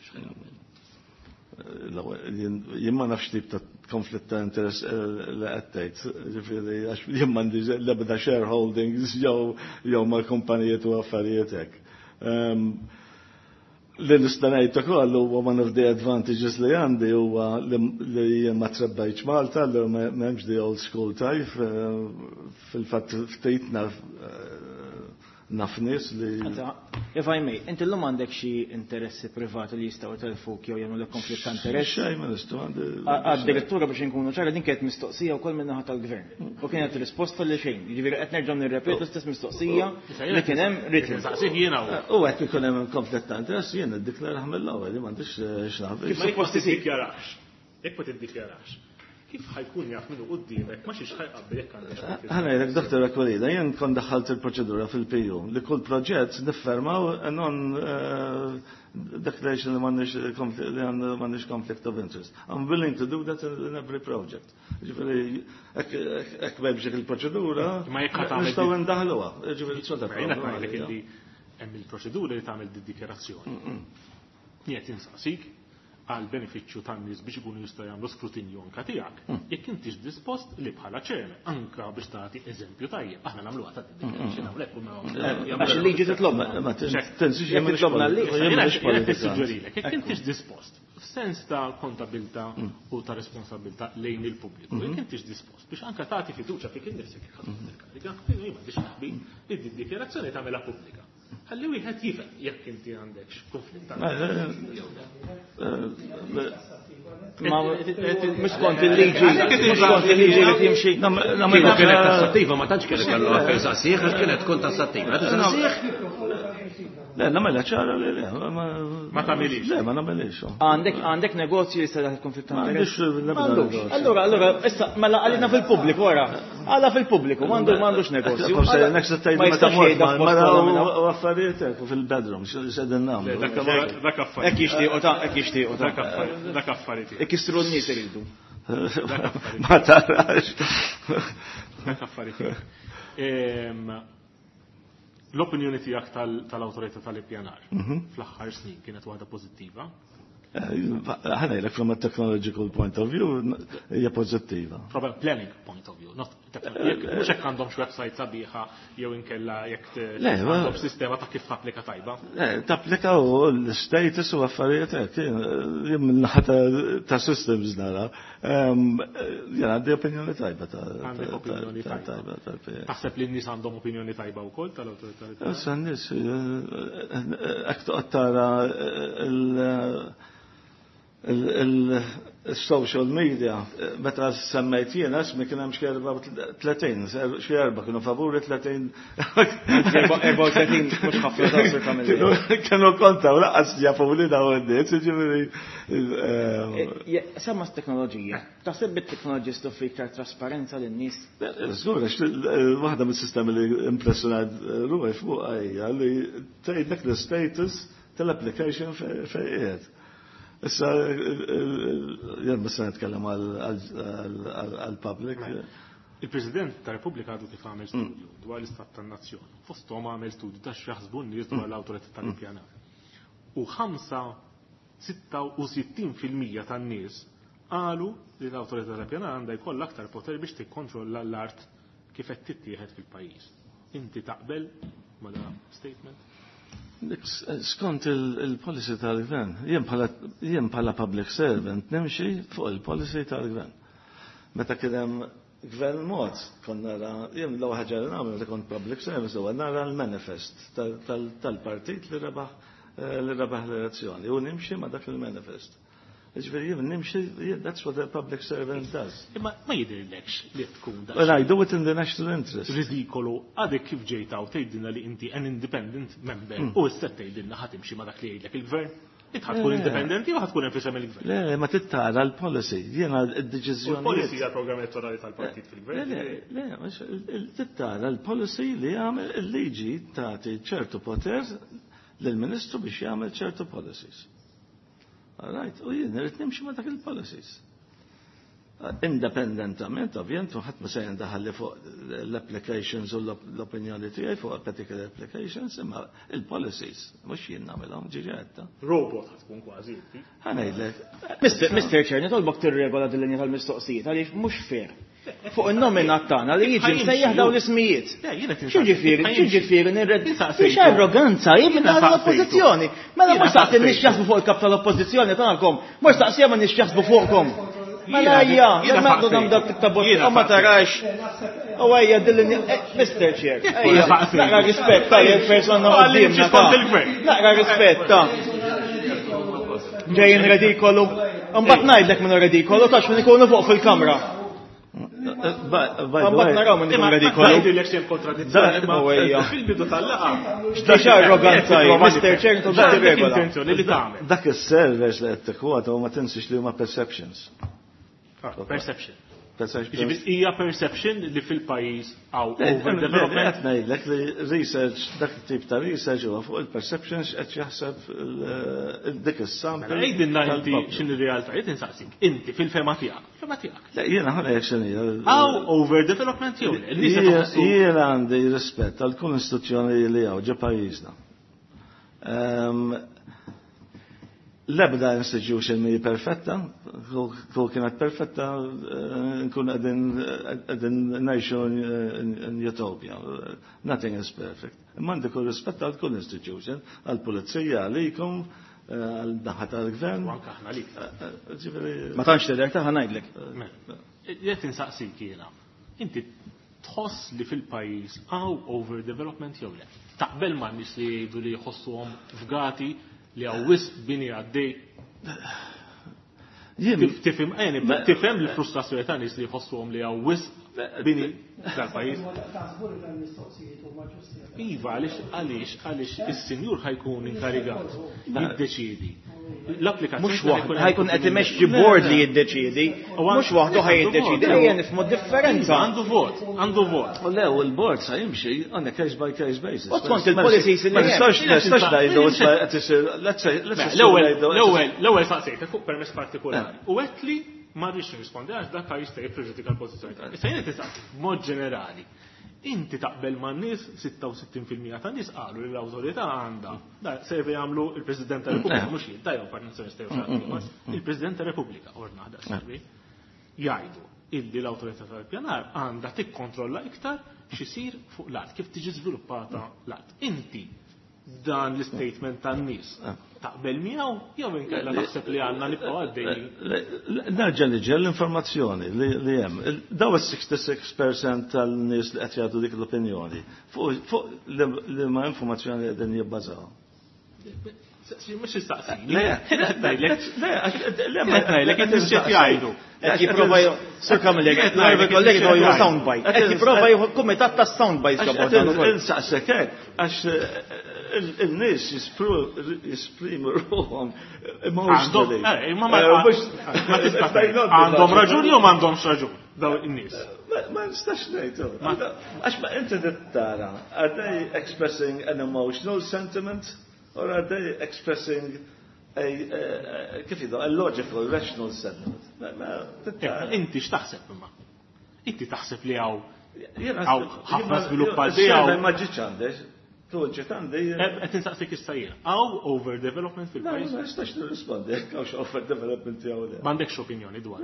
Jien ma nafx tip ta' konflitt ta' interess li qed tgħid, ġifieri għax jien m'għandi l-ebda shareholdings jew mal-kumpanijiet u affarijiet hekk. Li nista' ngħid ukoll huwa one of the advantages li għandi huwa li jien ma trebbajtx Malta, li m'hemmx the old school type, fil-fatt ftit naf naf nies li. If I may, inti llum għandek xi interessi privati li jistgħu jtelfuk jew jagħmlu konflitt ta' interess? Xejn ma nistgħu għandi. Għad-direttura biex inkunu ċara din kienet mistoqsija wkoll min-naħa tal-gvern. U kienet risposta li xejn. Jiġifieri qed nerġgħu nirrepetu l-istess mistoqsija li kien hemm written. Saqsih jiena. U hekk ikun hemm konflitt ta' interess jien iddiklarah mill-ewwel li m'għandix x'naf. Kif ma tiddikjarax? Jekk ma tiddikjarax, kif ħajkun jaf minnu quddiemek ma xiex ħajqabbel jekk għandek. Ħa ngħidlek Dr. Aquilina, jien kon daħħalt il-proċedura fil-PU li kull proġett niffermaw non declaration li m'għandniex conflict of interest. I'm willing to do that in every project. Ġifieri hekk m'hemmx il-proċedura, nistgħu ndaħluha. Ġifieri jiena ngħidlek illi hemm il-proċedura li tagħmel dikjarazzjoni. Jien insaqsik għal benefiċċju tan-nies biex ikunu jistgħu jagħmlu skrutinju anka tiegħek. Jekk intix dispost li bħala chairman anka biex tagħti eżempju tajjeb, aħna nagħmluha ta' declaration hawnhekk u Għax il-liġi titlobna. Ma tinsiex Jekk titlobna l-liġi. Jiena tissuġġerilek, jekk intix dispost f'sens ta' kontabilità u ta' responsabilità lejn il-pubbliku, jekk intix dispost biex anka tagħti fiduċja fik innifsek jekk ħadd il-kariga, jien m'għandix naħbi li di dikjarazzjoni tagħmilha pubblika. Ħalli wieħed jifhem jekk inti għandek konflitt ta' Ma mhux skont il-liġi, mhux skont il-liġi li timxi. Kieku kienet tassattiva ma tantx kienet kellu għalfejn saqsih għax kienet tkun tassattiva. Tisaqsih? Le, nagħmilha ċara li le. Ma tagħmilix. Le, ma nagħmilix. Għandek negozju li jista' konflitt ta' M'għandix interess? l-ebda M'għandux. negozju. Allura, issa mela għalina fil-pubbliku wara. Għala fil-pubbliku, m'għandux negozju. Forse next tgħid Ma meta jistax mort jgħidha mal-mara f'post minn hawn. u affarijiet hekk u fil-bedroom, x'qegħdin nagħmlu. Dak affarijiet. Hekk jixtiequ ta' hekk jixtiequ ta'. Dak affarijiet. Hekk jistru n-nies iridu. Ma tarax. Dak affarijiet. L-opinjoni tiegħek tal-awtorità tal-ippjanar fl-aħħar snin kienet waħda pożittiva? Ħa ngħidlek from a technological point of view hija pożittiva. From a planning point of view, not Mhux hekk għandhomx website sabiħa jew inkella jekk għandhom sistema ta' kif tapplika tajba. Le, tapplika u l-status u affarijiet hekk. Jien min-naħa ta' systems nara. Jien għandi opinjoni tajba ta' Għandek opinjoni tajba. Taħseb li n-nies għandhom opinjoni tajba wkoll tal-awtorità? Issa n-nies hekk toqgħod tara il-social media, meta semmejt jiena ismi kien hemm xi 34, xi erba' kienu favuri 30. 34 mhux ħafna ta' Sur Camilleri. Kienu konta u lanqas jafu li dawn in-nies, jiġifieri. Semma s-teknoloġija. Taħseb bit-teknoloġija toffri iktar trasparenza lin-nies? Żgur, għax waħda mis-sistemi li impressjonat ruħi fuqha hija li tgħidlek l-status tal-application fejn qiegħed. Issa, jien biss nitkellem għal-public. Il-President ta' Repubblika għadu kif għamel studju dwar l-istat tan-nazzjon. Fosthom għamel studju ta' x'jaħsbu n-nies dwar l-awtorità tal-ippjanar. U 65% tan-nies qalu li l-awtorità tal-ippjanar għandha jkollha aktar poter biex tikkontrolla l-art kif qed tittieħed fil-pajjiż. Inti taqbel ma' da statement? Skont il-policy tal-gvern, jien bħala public servant nimxi fuq il-policy tal-gvern. Meta kien hemm gvern mod, kon nara, jien l-ewwel ħaġa li nagħmel meta kont public service huwa nara l-manifest tal-partit li rebaħ li rebaħ l-elezzjoni u nimxi ma' dak il-manifest. Ġifieri jien nimxi, that's what a public servant does. Imma ma jidhirlekx li tkun da. Well, I do it in the national interest. Ridikolu, għadek kif ġejt hawn tgħidilna li inti an independent member u issa tgħidilna ħa timxi ma dak li jgħidlek il-gvern. Int ħa tkun indipendenti u ħa tkun hemm f'isem il-gvern. Le, ma tittara l-policy. Jiena d-deċiżjoni. Il-policy hija programm elettorali tal-partit fil-gvern. Le, le, tittara l-policy li jagħmel il-liġi tagħti ċertu poter lill-Ministru biex jagħmel ċertu policies. All right, u jien irrid nimxi ma' dak il-policies. Independentament, ovvjament, u ħadd ma se jindaħalli fuq l-applications u l-opinjoni tiegħi fuq particular applications, imma il-policies, mhux jien nagħmilhom ġiġi għedta. Robot ħa tkun kważi inti. Ħa ngħidlek. Mr. Chair, nitolbok tirregola din linja tal-mistoqsijiet għaliex mhux fair. Fuq in-nomina tagħna li jiġi msejjaħ dawn l-ismijiet. X'jiġifieri, x'jiġifieri nirred. Mhix arroganza, jien minn l-oppożizzjoni. Mela mhux taqsi nix jaħsbu fuq il-kap tal-oppożizzjoni tagħkom, mhux taqsija ma nix jaħsbu fuqkom. Mela ejja, jien għandhom dak tip ta' bot, ma tarax. U ejja dil Mr. Chair, ejja, naqra rispett ta' persona qudiemna. Naqra rispett ta' ġejjin redikolu. Mbagħad ngħidlek minn redikolu tax min ikunu fuq fil-kamra. Mbagħad naraw minn ikun redikolu. Ngħidilek xejn kontradizzjoni. Fil-bidu tal-laqgħa. X'tax arroganza hi, Mr. Chair regola. Intenzjoni li tagħmel. Dak is-servers li qed tikkwota ma tinsiex li huma perceptions. Perception. Perception. Hija perception li fil-pajjiż hawn overdevelopment. Qed ngħidlek li research dak it-tip ta' research huwa fuq il-perceptions qed jaħseb dik is-sample. Mela għidilna inti x'inhi r-realtà, jien insaqsik, inti fil-fema tiegħek, fema tiegħek. Le jiena ħa ngħidlek x'inhi. Hawn overdevelopment jew le? Jiena għandi rispett għal kull istituzzjoni li hawn ġo pajjiżna. L-ebda institution mi perfetta, kull kienet perfetta, nkun qegħdin ngħixu in utopia. Nothing is perfect. Imma għandi kull rispett għal kull institution, għal pulizija, għalikom, għal naħa tal-gvern. U anke aħna għalik. Ġifieri. Ma tantx tidher ta' ngħidlek. Qed insaqsik jiena. Inti tħoss li fil-pajjiż hawn overdevelopment jew le? Taqbel ma' nies li jgħidu li jħossuhom fgati li hawn wisq bini għaddej. Tifhem tifhem l-frustrazzjoni ta' nies li jħossuhom li hawn wisq bini dal-pajjiż. Taħsbu li dan mistoqsijiet huma ġusti. Iva, għaliex għaliex għaliex is-sinjur ħajkun inkarigat jiddeċiedi. L-applikazzjoni Mhux waħdu ħajkun qed imexxi board li jiddeċiedi, mhux waħdu ħaj jiddeċiedi, ejja nifhmu d-differenza. Għandu vot, għandu vot. U le, u l-board sa jimxi on a case by case basis. U skont il-policies li Ma nistax nistax ngħidu qed isir, let's say, let's L-ewwel l-ewwel l-ewwel saqsejtek fuq permess partikolari. U għedt li ma rridx nirrispondi għax dak jista' jippreġudika l-pożizzjoni tiegħek. Issa jien tisaqsi b'mod ġenerali. Inti taqbel man nies 66% ta' nies qalu li l-awtorità għandha. Da survey jagħmlu il-President tar-Repubblika mhux jien, tajjew Partit Nazzjonalista jew xi ħadd ieħor. Il-President tar-Repubblika ordna da survey. Jgħidu illi l-awtorità tal-pjanar għandha tikkontrolla iktar x'isir fuq l-art, kif tiġi żviluppata l-art. Inti dan l-statement tan-nies taqbel miegħu jew inkella taħseb li għandna nibqgħu għaddejjin? Nerġa' niġi l-informazzjoni li hemm. Daw is-66% tan-nies li qed jagħtu dik l-opinjoni fuq li ma informazzjoni li qegħdin jibbażaw. Mhux istaqsi. Le, le, ma ngħidlek qed jgħidu. Qed jipprova Sir Camilleri, qed ngħidlek kollegi jieħu soundbite. Qed jipprova jieħu kumitat ta' soundbites ġabor dan ukoll. Insaqsek hekk għax il-nies jisprimu ruħhom emotionally. Ma tista' għandhom raġun jew m'għandhomx raġun daw in-nies. Ma nistax ngħidu. Għax ma inti tara, are they expressing an emotional sentiment or are they expressing a, kif jgħidu, a logical, rational sentiment? Inti x'taħseb imma? Inti taħseb li hawn ħafna żviluppati hawn. Ma ġietx għandek. Tu ġiet għandi. Qed insaqsik issa jien. Hawn overdevelopment fil-pajjiż? Ma nistax nirrispondi jekk hawnx overdevelopment jew le. M'għandekx opinjoni dwar.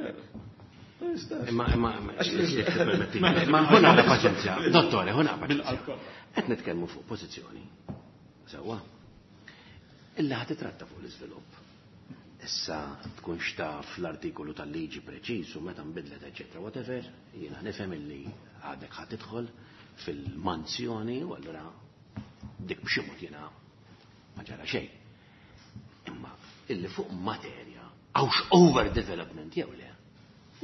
Imma imma imma ħuna għandha paċenzja. Dottore, ħuna paċenzja. Qed nitkellmu fuq pożizzjoni. Sewwa. Illa ħa titratta fuq l-iżvilupp. Issa tkun xtaf l-artikolu tal-liġi preċiż u meta nbidlet, eċetera, whatever, jiena nifhem illi għadek ħa tidħol fil-manzjoni u allura dik b'xi mod jiena ma ġara xejn. Imma illi fuq materja hawnx overdevelopment jew le,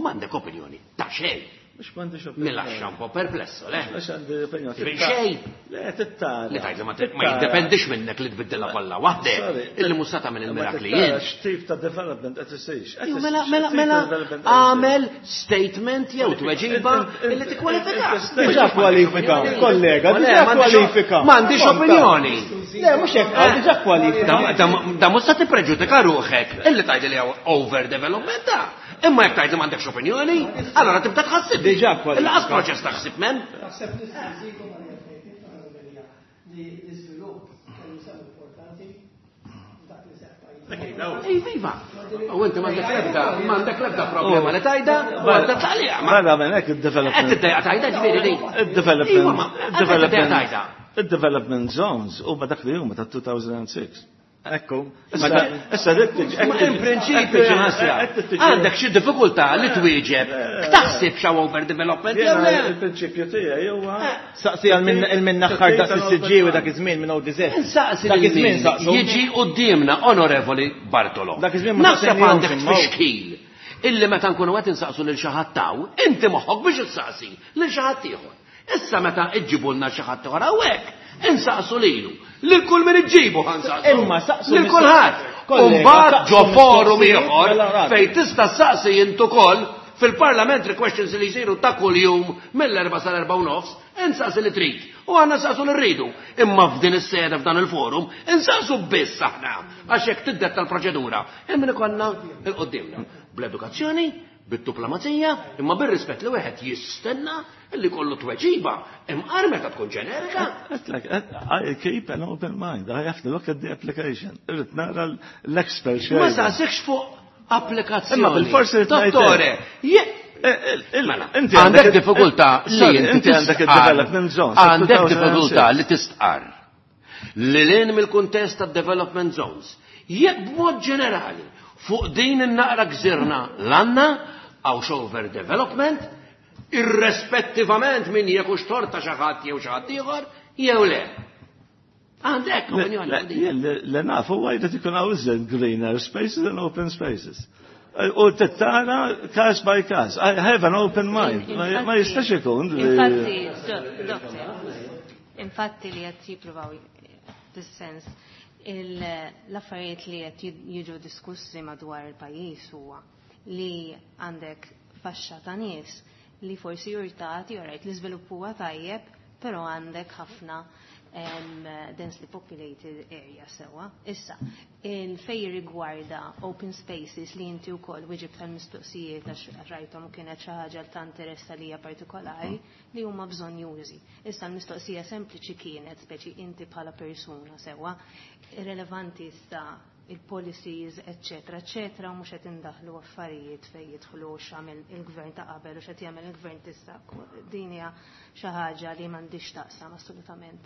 m'għandek opinjoni ta' xejn. Mhux m'għandix opinjoni. Mela un po' perplesso, le? Għax għandi opinjoni. Minn xejn. Le, tittara. Li tgħid li ma jiddependix minnek li tbiddilha kollha waħdek. Illi mhux sa tagħmel il-mirakli jien. X'tip ta' development qed isir? Mela, mela, mela, għamel statement jew tweġiba illi tikkwalifika. Diġà kwalifika, kollega, diġà kwalifika. M'għandix opinjoni. Le, mhux hekk, diġà kwalifika. Da mhux sa tippreġudika ruħek illi tgħid li hawn overdevelopment ta'. Imma jekk tgħid li m'għandekx opinjoni, allora tibda tħassib. Diġà kwalifika. Il-qas proċess taħsib men. Naħseb nista' nżidu ma' li l-iżvilupp kellu sehem importanti f'dak li seħħ pajjiż. Ej, viva! U inti m'għandek l-ebda problema li tajda, u għandha taqliqa. Mela minn hekk id-development. Qed tiddejqa tajda ġifieri din. Id-development. Id-development. Id-development zones huma dak li huma ta' 2006. Ekku. Issa dik tiġi. In prinċipju ħasra. Għandek xi diffikultà li twieġeb. Taħseb xaw overdevelopment jew le? Il-prinċipju tiegħi huwa. Saqsi għal minn naħħar daqs is-siġġiewi dak iż-żmien minn ODZ. Saqsi dak iż-żmien saqsu. Jiġi quddiemna Onorevoli Bartolo. Dak iż-żmien ma Naħseb għandek tfixkil illi meta nkunu qed insaqsu lil xi ħadd taw, inti moħħok biex issaqsi lil xi ħadd ieħor. Issa meta iġġibulna xi ħadd ieħor hawnhekk, insaqsu lilu. Lil kull min iġġibu ħansaqsu. Imma saqsu lil kulħadd. Kollega, Umbagħad ġo saqsu forum mistoqsijiet, ieħor mela rad. fejn tista' saqsi int ukoll fil-parliamentary questions li jsiru ta' kuljum mill-4 sal-4 u nofs, insaqsi li trid. U għandna saqsu li rridu. Imma f'din is-sede f'dan il-forum, insaqsu biss aħna għax hekk tiddetta l-proċedura. Hemm ikollna il-qudiemna bl-edukazzjoni, bid-diplomazija, imma bir-rispett li wieħed jistenna li kollu tweġiba, imqar meta tkun ġenerika. I keep an open mind. I have to look at the application. Irrid nara l-expert. Ma saqsikx fuq applikazzjoni. Imma bil-forsi li tgħid Dottore, Mela, inti għandek diffikultà li inti għandek il-development zones. Għandek diffikultà li tistqar li lin mill-kuntest ta' development zones. Jekk b'mod ġenerali fuq din in-naqra gżirna l-għanna għaw overdevelopment, irrespettivament minn jekk hux torta xi ħadd jew xi ħadd ieħor, jew le. Għandek opinjoni. Le nafu huwa jrid ikun hawn greener spaces and open spaces. U tittara case by case. I have an open mind. Ma jistax ikun. Infatti, doctor, infatti li qed jippruvaw fis-sens l-affarijiet li qed jiġu diskussi madwar il-pajjiż huwa li għandek faxxa ta' nies li forsi jurtati, alright, l-iżvilupp huwa tajjeb, però għandek ħafna densely populated area sewa. Issa, il-fej rigwarda open spaces li inti wkoll wieġib tal-mistoqsijiet għax rajthom u kienet xi ħaġa ta' interess għalija partikolari li huma bżonn jużi. Issa l-mistoqsija sempliċi kienet speċi inti bħala persuna sewa, irrelevanti issa il-policies, eccetera, eccetera, u mhux qed indaħlu affarijiet fejn jidħlu x'għamel il-gvern ta' qabel u x'qed jagħmel il-gvern t'issa. Din hija xi ħaġa li m'għandix taqsam assolutament.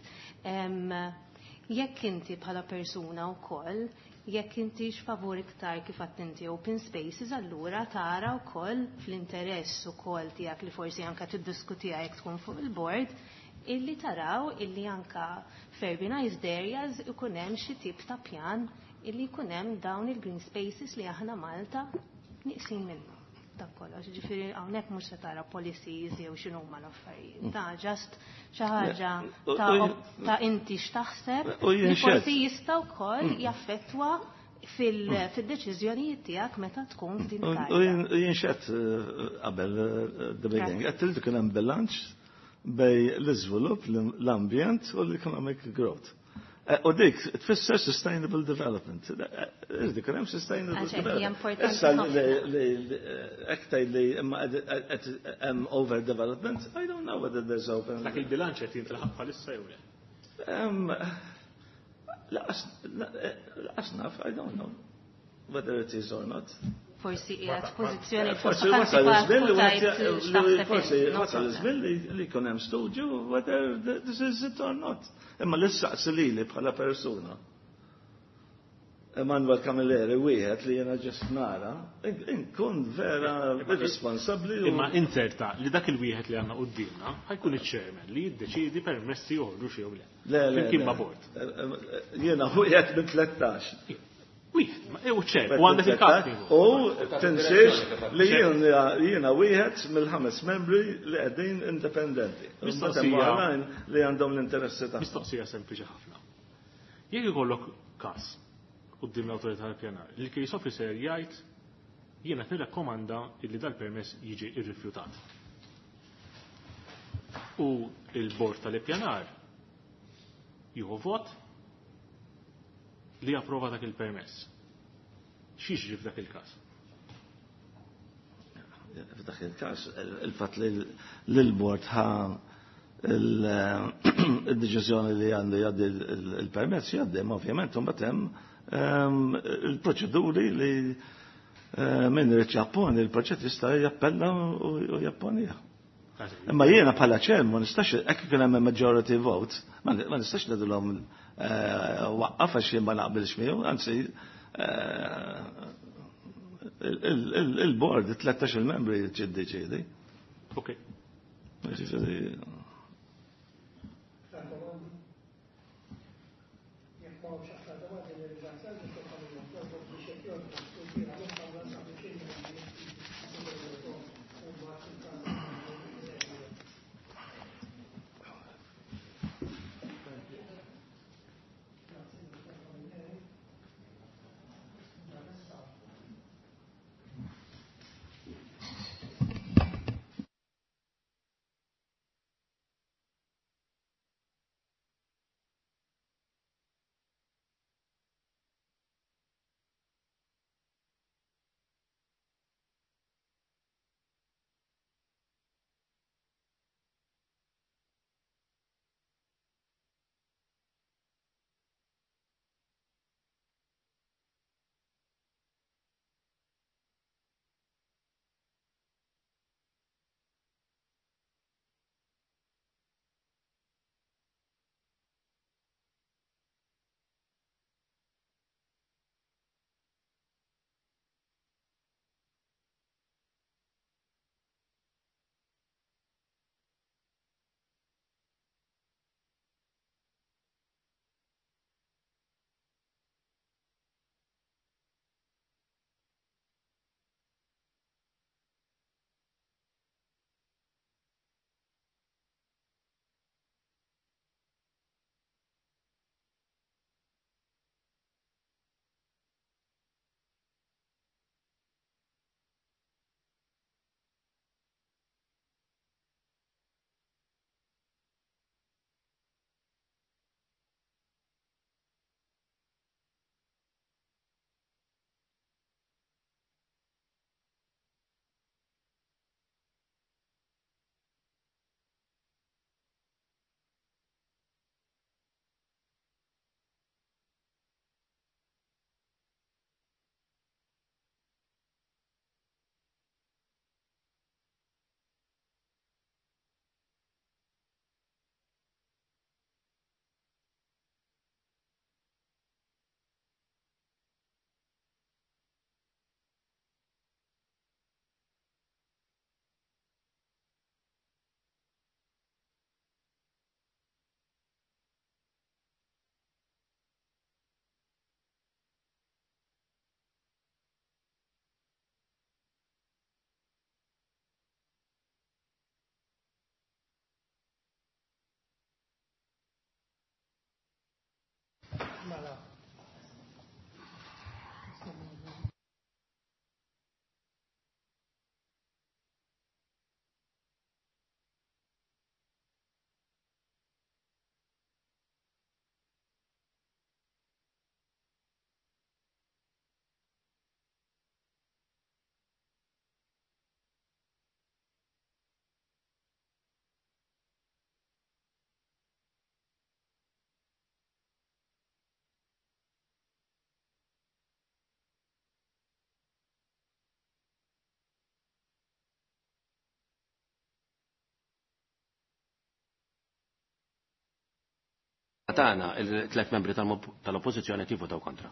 Jekk inti bħala persuna wkoll, jekk intix favur iktar kif għedt inti open spaces, allura tara wkoll fl-interess ukoll tiegħek li forsi anke tiddiskutiha jekk tkun fuq il-board, illi taraw illi anka f'urbanized areas ikun hemm xi tip ta' pjan illi jkun hemm dawn il-green spaces li aħna Malta nieqsin minnu. Dak kollox, ġifieri hawnhekk mhux se tara policies jew x'inhuma l-affarijiet. Ta' just xi ħaġa ta' inti x'taħseb li forsi jista' wkoll jaffettwa fil-deċiżjonijiet tiegħek meta tkun f'din il-kariga. U jien x'għedt qabel the beginning, għedt li kien hemm bilanċ bejn l-iżvilupp, l-ambjent u l-economic growth. U dik tfisser sustainable development. Dik hemm sustainable development. Issa li ektaj li imma hemm overdevelopment, I don't know whether there's over. Dak il-bilanċ qed jintlaħaq bħalissa jew le? Lanqas naf, I don't know whether it is or not. Forsi qiegħed pożizzjoni Forsi wasal iż-żmien li forsi wasal iż-żmien li jkun hemm studju whether this is it or not. Imma li ssaqsi lili bħala persuna. Emanuel Camilleri wieħed li jiena just nara, inkun vera irresponsabbli. Imma inzerta li dak il-wieħed li għandna quddiemna ħa jkun iċ-chairman li jiddeċidi permessi joħorġu xi jew le. Le, le. Flimkien ma' board. Jiena wieħed minn 13. Wieħed, u ċer, u għandek il-kap. U tinsiex li jiena wieħed mill-ħames membri li qegħdin indipendenti. Mistoqsija. Li għandhom l-interessi tagħhom. Mistoqsija sempliċi ħafna. Jekk ikollok każ quddiem l-awtorità tal-pjanar, il-case officer jgħid jiena qed nirrakkomanda li dal-permess jiġi irrifjutat. U il-bord tal-ippjanar jieħu vot li japprova dak il-permess. X'jiġri f'dak il-każ? F'dak il-każ, il-fatt li l-bord ħa il-deċiżjoni li għandu jgħaddi il-permess jgħaddi, ma ovvjament mbagħad hemm il-proċeduri li min irid japponi il-proċett jista' jappella u japponija. Imma jiena bħala chair ma nistax hekk kien hemm majority vote, ma nistax ngħidilhom waqqaf għax jien ma naqbilx miegħu, anzi il-board 13 il-membri jiddeċiedi. Ok. Ġifieri Aktar domandi? Jekk m'hawnx aktar domandi, nirringrazzjak Dottor Camilleri biex jekk jogħġbok tirtira mill-kamra sabiex il-membri u mbagħad il-kamra. Grazzi, Dottor Camilleri. Issa Tagħna il-tlet membri tal-Oppożizzjoni qed jivvotaw kontra.